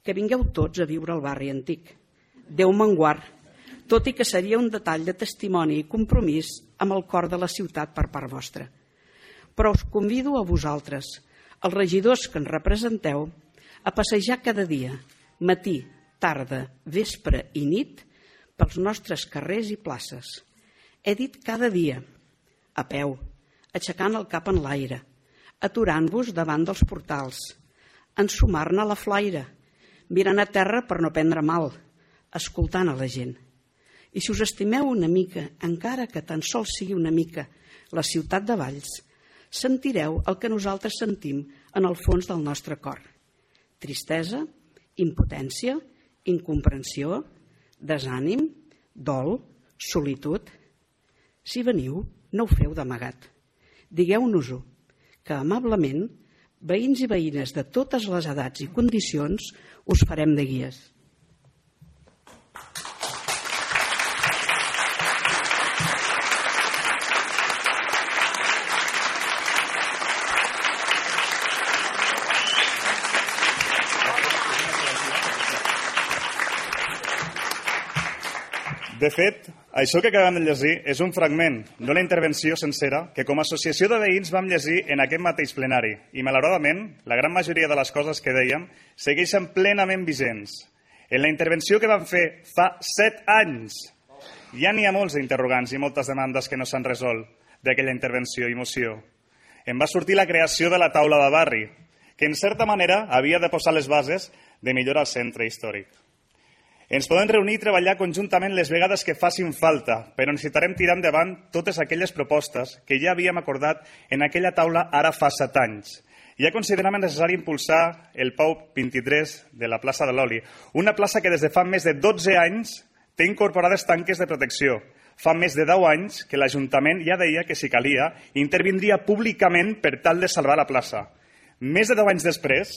que vingueu tots a viure al barri antic. Déu me'n guard, tot i que seria un detall de testimoni i compromís amb el cor de la ciutat per part vostra. Però us convido a vosaltres, els regidors que ens representeu, a passejar cada dia, matí, tarda, vespre i nit, pels nostres carrers i places. He dit cada dia, a peu, aixecant el cap en l'aire, aturant-vos davant dels portals, ensumar-ne la flaire, mirant a terra per no prendre mal, escoltant a la gent. I si us estimeu una mica, encara que tan sols sigui una mica, la ciutat de Valls, sentireu el que nosaltres sentim en el fons del nostre cor. Tristesa, impotència, incomprensió, desànim, dol, solitud. Si veniu, no ho feu d'amagat. Digueu-nos-ho, que amablement, veïns i veïnes de totes les edats i condicions, us farem de guies.
De fet, això que acabem de llegir és un fragment d'una intervenció sencera que com a associació de veïns vam llegir en aquest mateix plenari i, malauradament, la gran majoria de les coses que dèiem segueixen plenament vigents. En la intervenció que vam fer fa set anys ja n'hi ha molts interrogants i moltes demandes que no s'han resolt d'aquella intervenció i moció. Em va sortir la creació de la taula de barri, que en certa manera havia de posar les bases de millorar el centre històric. Ens podem reunir i treballar conjuntament les vegades que facin falta, però necessitarem tirar endavant totes aquelles propostes que ja havíem acordat en aquella taula ara fa set anys. Ja consideràvem necessari impulsar el P A U vint-i-tres de la plaça de l'Oli, una plaça que des de fa més de dotze anys té incorporades tanques de protecció. Fa més de deu anys que l'Ajuntament ja deia que, si calia, intervindria públicament per tal de salvar la plaça. Més de deu anys després,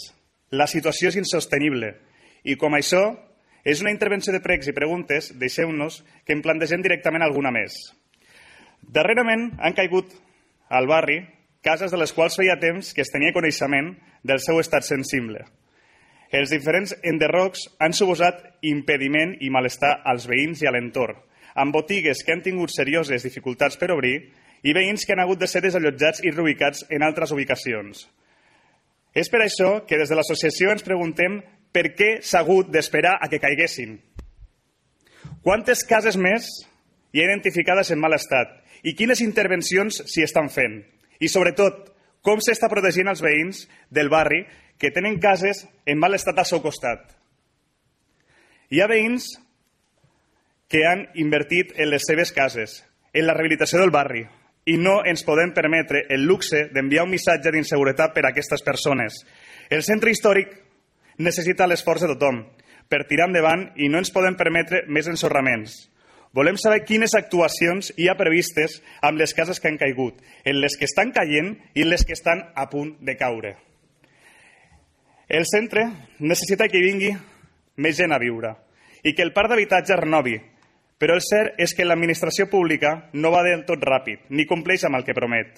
la situació és insostenible i, com això, és una intervenció de pregs i preguntes, deixeu-nos que en plantegem directament alguna més. Darrerament han caigut al barri cases de les quals feia temps que es tenia coneixement del seu estat sensible. Els diferents enderrocs han suposat impediment i malestar als veïns i a l'entorn, amb botigues que han tingut serioses dificultats per obrir i veïns que han hagut de ser desallotjats i reubicats en altres ubicacions. És per això que des de l'associació ens preguntem per què s'ha hagut d'esperar a que caiguessin. Quantes cases més hi ha identificades en mal estat i quines intervencions s'hi estan fent? I, sobretot, com s'està protegint els veïns del barri que tenen cases en mal estat al seu costat? Hi ha veïns que han invertit en les seves cases, en la rehabilitació del barri, i no ens podem permetre el luxe d'enviar un missatge d'inseguretat per a aquestes persones. El centre històric necessita l'esforç de tothom, per tirar endavant i no ens podem permetre més ensorraments. Volem saber quines actuacions hi ha previstes amb les cases que han caigut, en les que estan caient i en les que estan a punt de caure. El centre necessita que hi vingui més gent a viure i que el parc d'habitatge renovi, però el cert és que l'administració pública no va del tot ràpid ni compleix amb el que promet.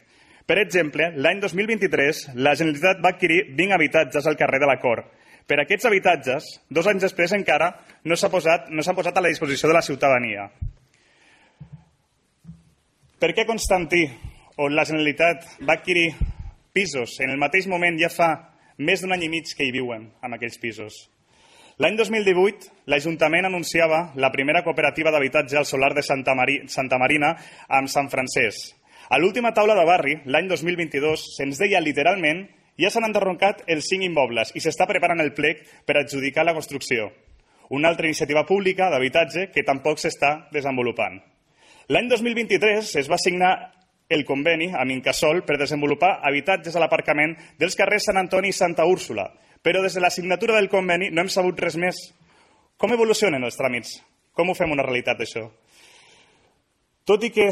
Per exemple, l'any dos mil vint-i-tres la Generalitat va adquirir vint habitatges al carrer de la Cor. Per aquests habitatges, dos anys després encara no s'ha posat, no s'han posat a la disposició de la ciutadania. Per què Constantí, on la Generalitat va adquirir pisos, en el mateix moment ja fa més d'un any i mig que hi viuen, en aquells pisos? L'any dos mil divuit, l'Ajuntament anunciava la primera cooperativa d'habitatge al solar de Santa, Mari, Santa Marina amb Sant Francesc. A l'última taula de barri, l'any dos mil vint-i-dos, se'ns deia literalment ja s'han enderrocat els cinc immobles i s'està preparant el plec per adjudicar la construcció. Una altra iniciativa pública d'habitatge que tampoc s'està desenvolupant. L'any dos mil vint-i-tres es va signar el conveni amb Incasòl per desenvolupar habitatges a l'aparcament dels carrers Sant Antoni i Santa Úrsula, però des de la signatura del conveni no hem sabut res més. Com evolucionen els tràmits? Com ho fem una realitat, això? Tot i que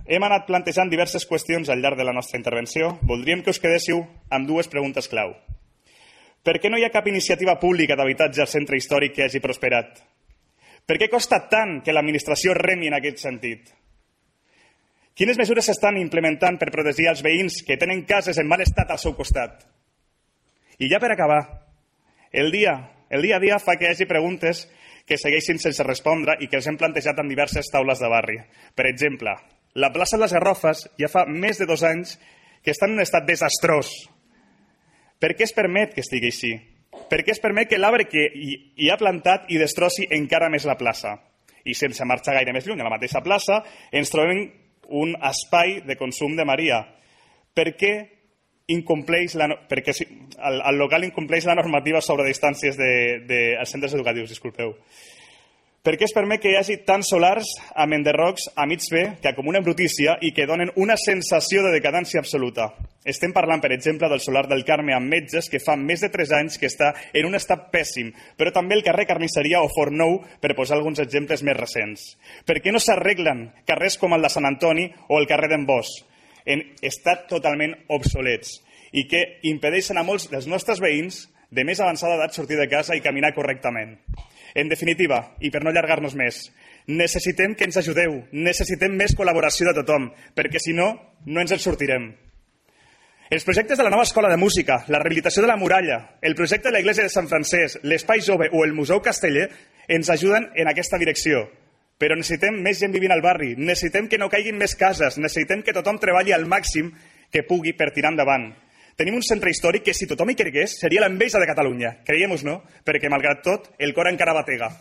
hem anat plantejant diverses qüestions al llarg de la nostra intervenció, voldríem que us quedéssiu amb dues preguntes clau. Per què no hi ha cap iniciativa pública d'habitatge al centre històric que hagi prosperat? Per què costa tant que l'administració remi en aquest sentit? Quines mesures s'estan implementant per protegir els veïns que tenen cases en mal estat al seu costat? I ja per acabar, el dia, el dia a dia fa que hi hagi preguntes que segueixin sense respondre i que els hem plantejat en diverses taules de barri. Per exemple, la plaça de les Garrofes ja fa més de dos anys que està en un estat desastrós. Per què es permet que estigui així? Per què es permet que l'arbre que hi ha plantat hi destrossi encara més la plaça? I sense marxar gaire més lluny, a la mateixa plaça ens trobem un espai de consum de Maria. Per què incompleix la, perquè el, el local incompleix la normativa sobre distàncies de, de, als centres educatius, disculpeu. Per què es permet que hi hagi tants solars amb enderrocs a mig fer que acumulen brutícia i que donen una sensació de decadència absoluta? Estem parlant, per exemple, del solar del Carme amb metges que fa més de tres anys que està en un estat pèssim, però també el carrer Carnisseria o Fort Nou, per posar alguns exemples més recents. Per què no s'arreglen carrers com el de Sant Antoni o el carrer d'en Bosch, en estat totalment obsolets i que impedeixen a molts dels nostres veïns de més avançada edat sortir de casa i caminar correctament? En definitiva, i per no allargar-nos més, necessitem que ens ajudeu, necessitem més col·laboració de tothom, perquè si no, no ens en sortirem. Els projectes de la nova escola de música, la rehabilitació de la muralla, el projecte de l'església de Sant Francesc, l'Espai Jove o el Museu Casteller ens ajuden en aquesta direcció. Però necessitem més gent vivint al barri, necessitem que no caiguin més cases, necessitem que tothom treballi al màxim que pugui per tirar endavant. Tenim un centre històric que, si tothom hi cregués, seria l'enveja de Catalunya. Creiem-nos, no? Perquè, malgrat tot, el cor encara batega.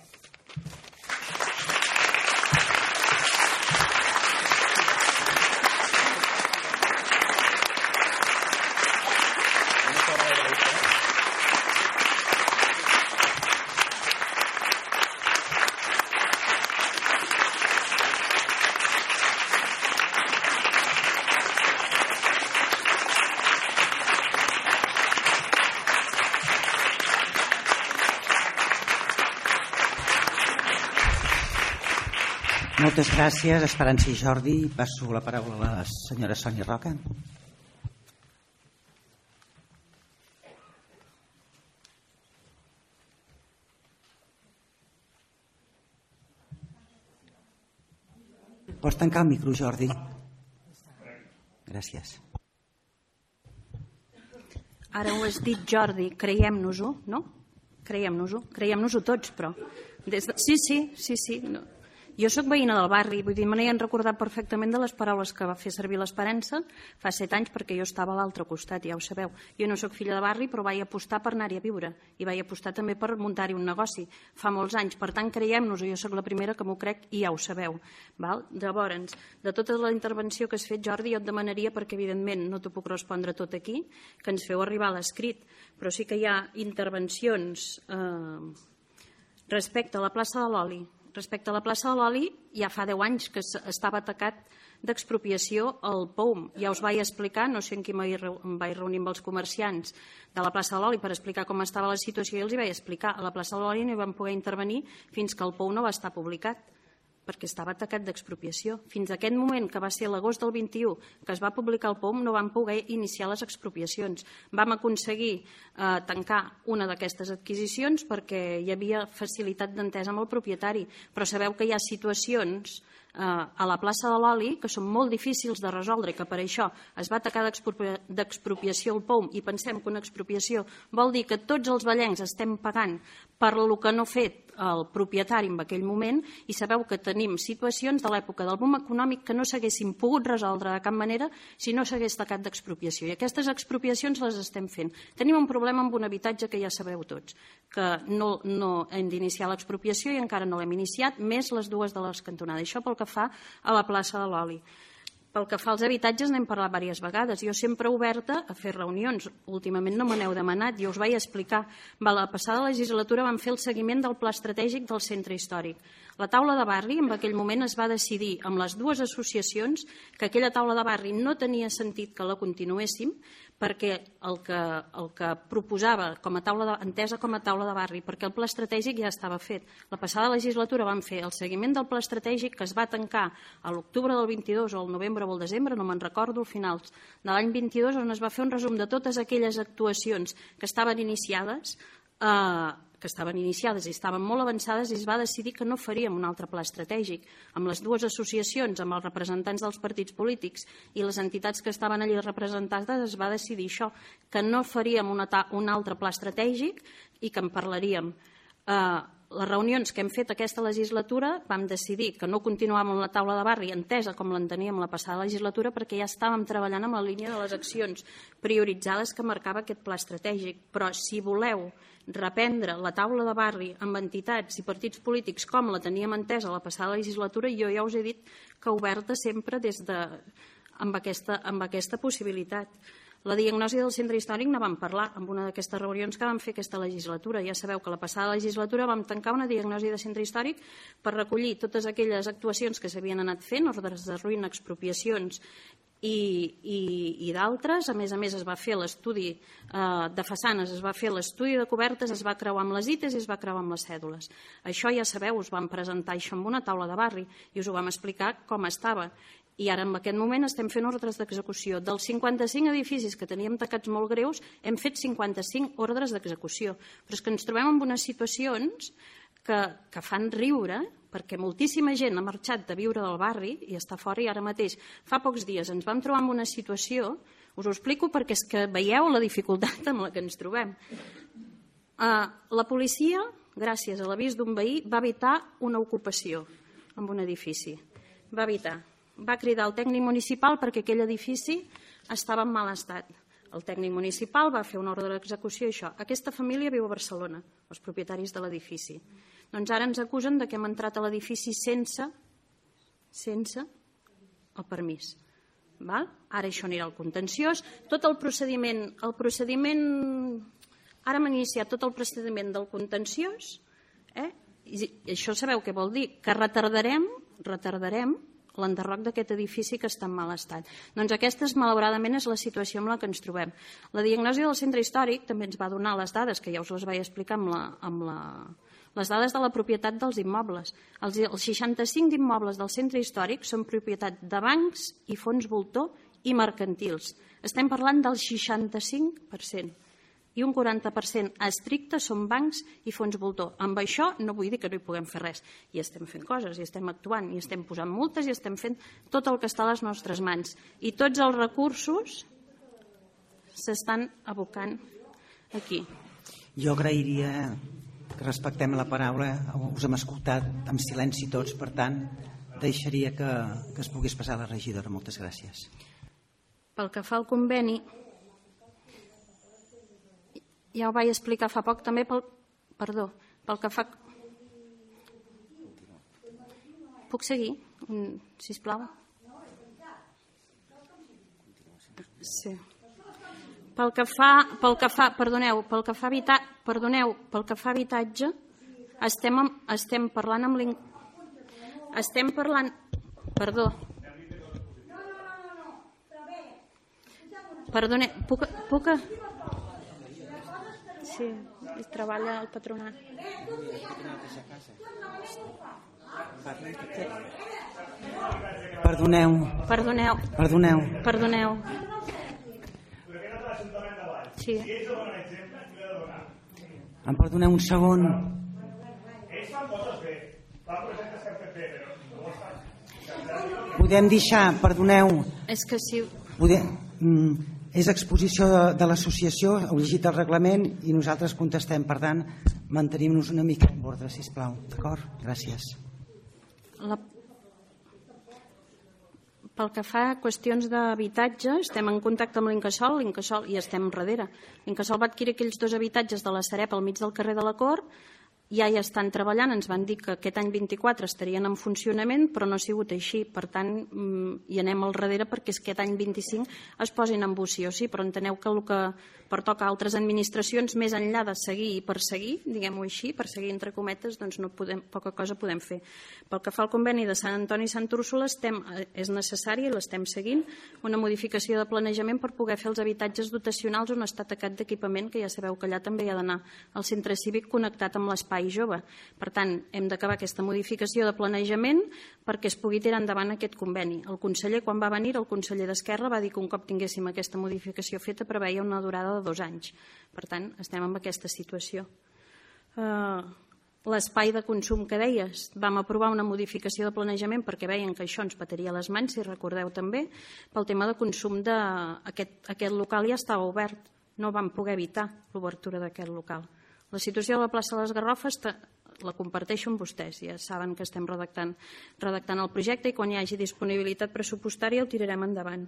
Moltes gràcies, Esperança i Jordi. Passo la paraula a la senyora Sònia Roca. Pots tancar el micro, Jordi? Gràcies.
Ara ho has dit, Jordi, creiem-nos-ho, no? Creiem-nos-ho, creiem-nos-ho tots, però... Des de... Sí, sí, sí, sí. No. Jo sóc veïna del barri, vull dir, me n'he recordat perfectament de les paraules que va fer servir l'Esperança fa set anys, perquè jo estava a l'altre costat, ja ho sabeu. Jo no sóc filla de barri, però vaig apostar per anar-hi a viure i vaig apostar també per muntar-hi un negoci fa molts anys. Per tant, creiem-nos-ho, jo sóc la primera que m'ho crec i ja ho sabeu. Val? Llavors, de tota la intervenció que has fet, Jordi, jo et demanaria, perquè evidentment no t'ho puc respondre tot aquí, que ens feu arribar a l'escrit, però sí que hi ha intervencions eh, respecte a la plaça de l'Oli, Respecte a la plaça de l'Oli, ja fa deu anys que estava atacat d'expropiació el P O U M. Ja us vaig explicar, no sé en qui em vaig reunir amb els comerciants de la plaça de l'Oli per explicar com estava la situació i els hi vaig explicar. A la plaça de l'Oli no hi vam poder intervenir fins que el P O U M no va estar publicat, perquè estava atacat d'expropiació. Fins a aquest moment, que va ser l'agost del vint-i-u, que es va publicar el P O U M, no vam poder iniciar les expropiacions. Vam aconseguir eh, tancar una d'aquestes adquisicions perquè hi havia facilitat d'entesa amb el propietari, però sabeu que hi ha situacions eh, a la plaça de l'Oli que són molt difícils de resoldre, que per això es va atacar d'expropiació el P O U M, i pensem que una expropiació vol dir que tots els vallencs estem pagant per el que no ha fet el propietari en aquell moment, i sabeu que tenim situacions de l'època del boom econòmic que no s'haguessin pogut resoldre de cap manera si no s'hagués tacat d'expropiació, i aquestes expropiacions les estem fent. Tenim un problema amb un habitatge que ja sabeu tots, que no, no hem d'iniciar l'expropiació i encara no l'hem iniciat, més les dues de les cantonades. Això pel que fa a la plaça de l'Oli. Pel que fa als habitatges n'hem parlat diverses vegades. Jo sempre oberta a fer reunions. Últimament no me n'heu demanat, jo us vaig explicar. La passada legislatura vam fer el seguiment del pla estratègic del centre històric. La taula de barri en aquell moment es va decidir amb les dues associacions que aquella taula de barri no tenia sentit que la continuéssim, perquè el que, el que proposava com a taula de, entesa com a taula de barri, perquè el pla estratègic ja estava fet. La passada legislatura vam fer el seguiment del pla estratègic, que es va tancar a l'octubre del vint-i-dos o al novembre o al desembre, no me'n recordo, al final de l'any vint-i-dos, on es va fer un resum de totes aquelles actuacions que estaven iniciades, eh, que estaven iniciades i estaven molt avançades, i es va decidir que no faríem un altre pla estratègic. Amb les dues associacions, amb els representants dels partits polítics i les entitats que estaven allí representades, es va decidir això, que no faríem una, un altre pla estratègic i que en parlaríem. Eh, les reunions que hem fet aquesta legislatura vam decidir que no continuàvem amb la taula de barri entesa com l'enteníem la passada legislatura, perquè ja estàvem treballant amb la línia de les accions prioritzades que marcava aquest pla estratègic. Però si voleu reprendre la taula de barri amb entitats i partits polítics com la teníem entesa la passada legislatura, jo ja us he dit que oberta sempre des de, amb, aquesta, amb aquesta possibilitat. La diagnosi del centre històric ne vam parlar en una d'aquestes reunions que vam fer aquesta legislatura. Ja sabeu que la passada legislatura vam tancar una diagnosi de centre històric per recollir totes aquelles actuacions que s'havien anat fent, ordres de ruïna, expropiacions i, i, i d'altres. A més a més es va fer l'estudi eh, de façanes, es va fer l'estudi de cobertes, es va creuar amb les I T Es i es va creuar amb les cèdules. Això ja sabeu, us vam presentar això en una taula de barri i us ho vam explicar com estava. I ara en aquest moment estem fent ordres d'execució. Dels cinquanta-cinc edificis que teníem tacats molt greus, hem fet cinquanta-cinc ordres d'execució. Però és que ens trobem en unes situacions que, que fan riure, perquè moltíssima gent ha marxat de viure del barri i està fora, i ara mateix, fa pocs dies, ens vam trobar en una situació, us ho explico perquè és que veieu la dificultat amb la que ens trobem. Uh, la policia, gràcies a l'avís d'un veí, va evitar una ocupació en un edifici. Va evitar. Va cridar el tècnic municipal perquè aquell edifici estava en mal estat. El tècnic municipal va fer una ordre d'execució i això. Aquesta família viu a Barcelona, els propietaris de l'edifici. Doncs ara ens acusen de que hem entrat a l'edifici sense, sense el permís. Val? Ara això anirà al contenciós. Tot el procediment, el procediment, ara hem iniciat tot el procediment del contenciós, eh? I això sabeu què vol dir? Que retardarem, retardarem l'enderroc d'aquest edifici que està en mal estat. Doncs aquesta, malauradament, és la situació amb la que ens trobem. La diagnosi del centre històric també ens va donar les dades, que ja us les vaig explicar amb la, amb la, les dades de la propietat dels immobles. Els, els seixanta-cinc immobles del centre històric són propietat de bancs i fons voltor i mercantils. Estem parlant del seixanta-cinc per cent. I un quaranta per cent estricte són bancs i fons voltor. Amb això no vull dir que no hi puguem fer res. I estem fent coses, i estem actuant, i estem posant multes, i estem fent tot el que està a les nostres mans. I tots els recursos s'estan abocant aquí.
Jo agrairia que respectem la paraula. Us hem escoltat amb silenci tots, per tant, deixaria que, que es pogués passar a la regidora. Moltes gràcies.
Pel que fa al conveni, ja ho vaig explicar fa poc també, pel, perdó, pel que fa... Puc seguir, sisplau? Sí. Pel que fa, pel que fa, perdoneu, pel que fa habitatge, perdoneu, pel que fa habitatge, estem, estem parlant amb l'Incasòl. Estem parlant... Perdó. Perdone, puc... puc... Sí, treballa al patronat.
Perdoneu.
Perdoneu.
Perdoneu.
Perdoneu. Sí.
Em perdoneu un segon. Podem deixar, perdoneu.
És que sí.
Podem, mm, és exposició de, de l'associació, heu llegit el reglament i nosaltres contestem. Per tant, mantenim-nos una mica en ordre, sisplau. D'acord? Gràcies.
La... Pel que fa a qüestions d'habitatge, estem en contacte amb l'Incasòl, l'Incasòl i estem darrere. L'Incasòl va adquirir aquells dos habitatges de la Sareb al mig del carrer de la Cort, ja hi estan treballant, ens van dir que aquest any vint-i-quatre estarien en funcionament, però no ha sigut així. Per tant, hi anem al darrere perquè aquest any vint-i-cinc es posin en ús sí o sí, però enteneu que el que pertoca a altres administracions, més enllà de seguir i perseguir, diguem-ho així, perseguir entre cometes, doncs no podem, poca cosa podem fer. Pel que fa al conveni de Sant Antoni i Sant Úrsula, estem, és necessari, l'estem seguint, una modificació de planejament per poder fer els habitatges dotacionals on està tacat d'equipament, que ja sabeu que allà també hi ha d'anar al centre cívic connectat amb l'espai jove. Per tant, hem d'acabar aquesta modificació de planejament perquè es pugui tirar endavant aquest conveni. El conseller, quan va venir, el conseller d'Esquerra va dir que un cop tinguéssim aquesta modificació feta preveia una durada de dos anys. Per tant, estem en aquesta situació. L'espai de consum que deies, vam aprovar una modificació de planejament perquè veien que això ens petaria les mans, si recordeu també, pel tema de consum d'aquest local ja estava obert. No vam poder evitar l'obertura d'aquest local. La situació de la plaça de les Garrofes la comparteixo amb vostès, ja saben que estem redactant, redactant el projecte i quan hi hagi disponibilitat pressupostària el tirarem endavant.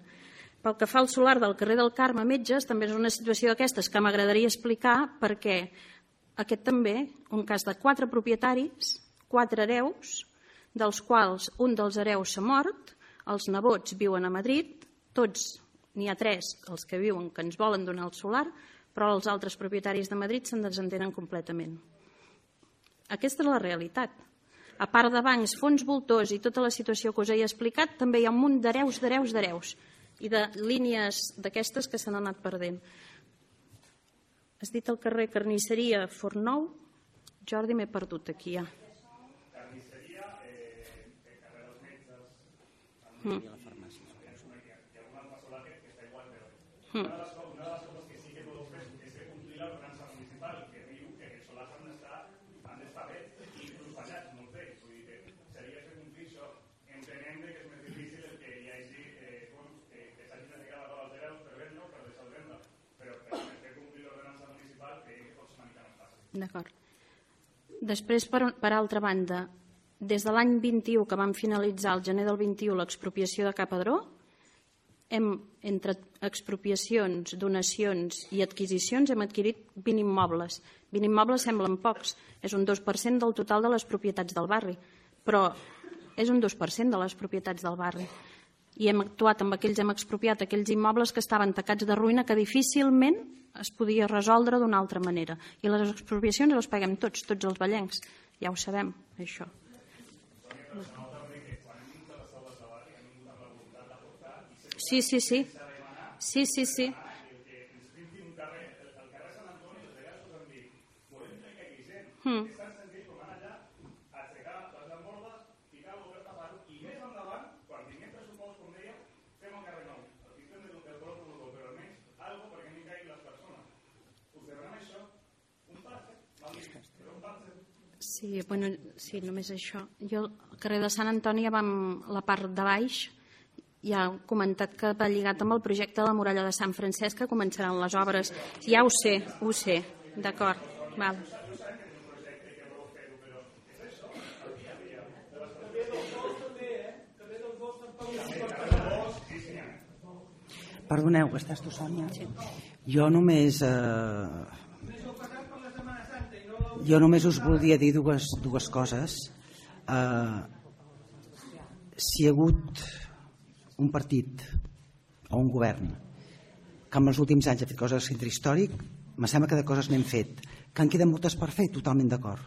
Pel que fa al solar del carrer del Carme Metges, també és una situació d'aquestes que m'agradaria explicar perquè aquest també, un cas de quatre propietaris, quatre hereus, dels quals un dels hereus s'ha mort, els nebots viuen a Madrid, tots, n'hi ha tres, els que viuen que ens volen donar el solar, però els altres propietaris de Madrid se'n desentenen completament. Aquesta és la realitat. A part de bancs, fons voltors i tota la situació que us he explicat, també hi ha un munt d'hereus, d'hereus, d'hereus i de línies d'aquestes que s'han anat perdent. Has dit el carrer Carnisseria Fornou? Jordi, m'he perdut aquí ja. Carnisseria, carrer dels Metges, i la farmàcia. Hi ha un altre solar que està igual, però una de les coses que sí que podeu fer és que complir l'ordenança municipal que diu que els solars han d'estar bé i inclús ballats, molt bé. Vull dir que seria fer complir això. Entenem que és més difícil el que hi hagi que s'hagin de ficar la cola als hereus per vendre o per deixar de vendre, però per fer complir l'ordenança municipal que pot ser una mica més fàcil. D'acord. Després, per altra banda, des de l'any vint-i-u que vam finalitzar el gener del vint-i-u l'expropiació de Capadró, hem, entre expropiacions, donacions i adquisicions, hem adquirit vint immobles. vint immobles semblen pocs, és un dos per cent del total de les propietats del barri, però és un dos per cent de les propietats del barri. I hem actuat amb aquells, hem expropiat aquells immobles que estaven tacats de ruïna que difícilment es podia resoldre d'una altra manera. I les expropiacions les paguem tots, tots els vallencs. Ja ho sabem, això. Sí, sí, sí. Sí, sí, sí. Hmm. Sí, bueno, sí, només això. Jo al carrer de Sant Antoni, vam, la part de baix, ja he comentat que va lligat amb el projecte de la muralla de Sant Francesc, que començaran les obres. Ja ho sé, ho sé, d'acord. Val.
Perdoneu, que estàs tu, Sònia? Sí. Jo només... Eh... Jo només us voldria dir dues, dues coses. Uh, si hi ha hagut un partit o un govern que en els últims anys ha fet coses al centre històric, me sembla que de coses n'hem fet, que en queden moltes per fer, totalment d'acord.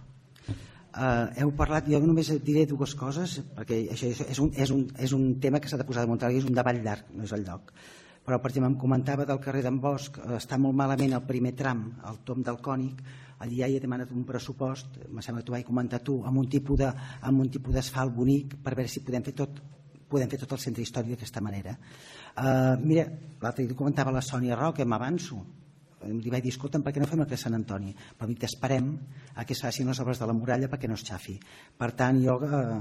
Uh, heu parlat, jo només diré dues coses, perquè això és un, és un, és un tema que s'ha de posar damunt taula, és un debat llarg, no és el lloc. Però, per exemple, em comentava del carrer d'en Bosch, està molt malament el primer tram, el tom del Cònic, allí ja hi he demanat un pressupost, em sembla que t'ho vaig comentar tu, amb un tipus de, amb un tipus d'asfalt bonic, per veure si podem fer tot, podem fer tot el centre històric d'aquesta manera. Uh, mira, l'altre dia comentava la Sònia Roca, m'avanço, li vaig dir, escolta'm, per què no fem el que Sant Antoni? Però dic, esperem a que es facin les obres de la muralla perquè no es xafi. Per tant, jo, eh,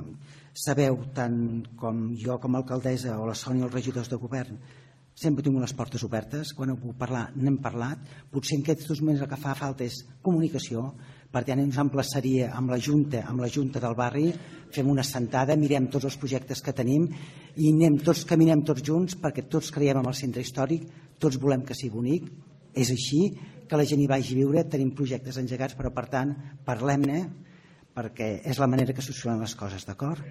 sabeu, tant com jo com a alcaldessa o la Sònia, els regidors de govern, sempre tinc les portes obertes, quan heu pogut parlar n'hem parlat, potser en aquests dos moments el que fa falta és comunicació, per tant ens emplaçaria amb la Junta, amb la Junta del barri, fem una sentada, mirem tots els projectes que tenim i anem tots, caminem tots junts perquè tots creiem en el centre històric, tots volem que sigui bonic, és així, que la gent hi vagi a viure, tenim projectes engegats, però per tant parlem-ne perquè és la manera que solucionen les coses, d'acord?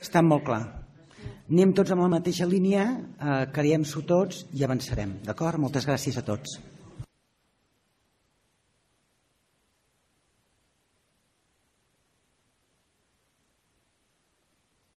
Està molt clar. Anem tots amb la mateixa línia, eh, creiem-s'ho tots i avançarem. D'acord? Moltes gràcies a tots.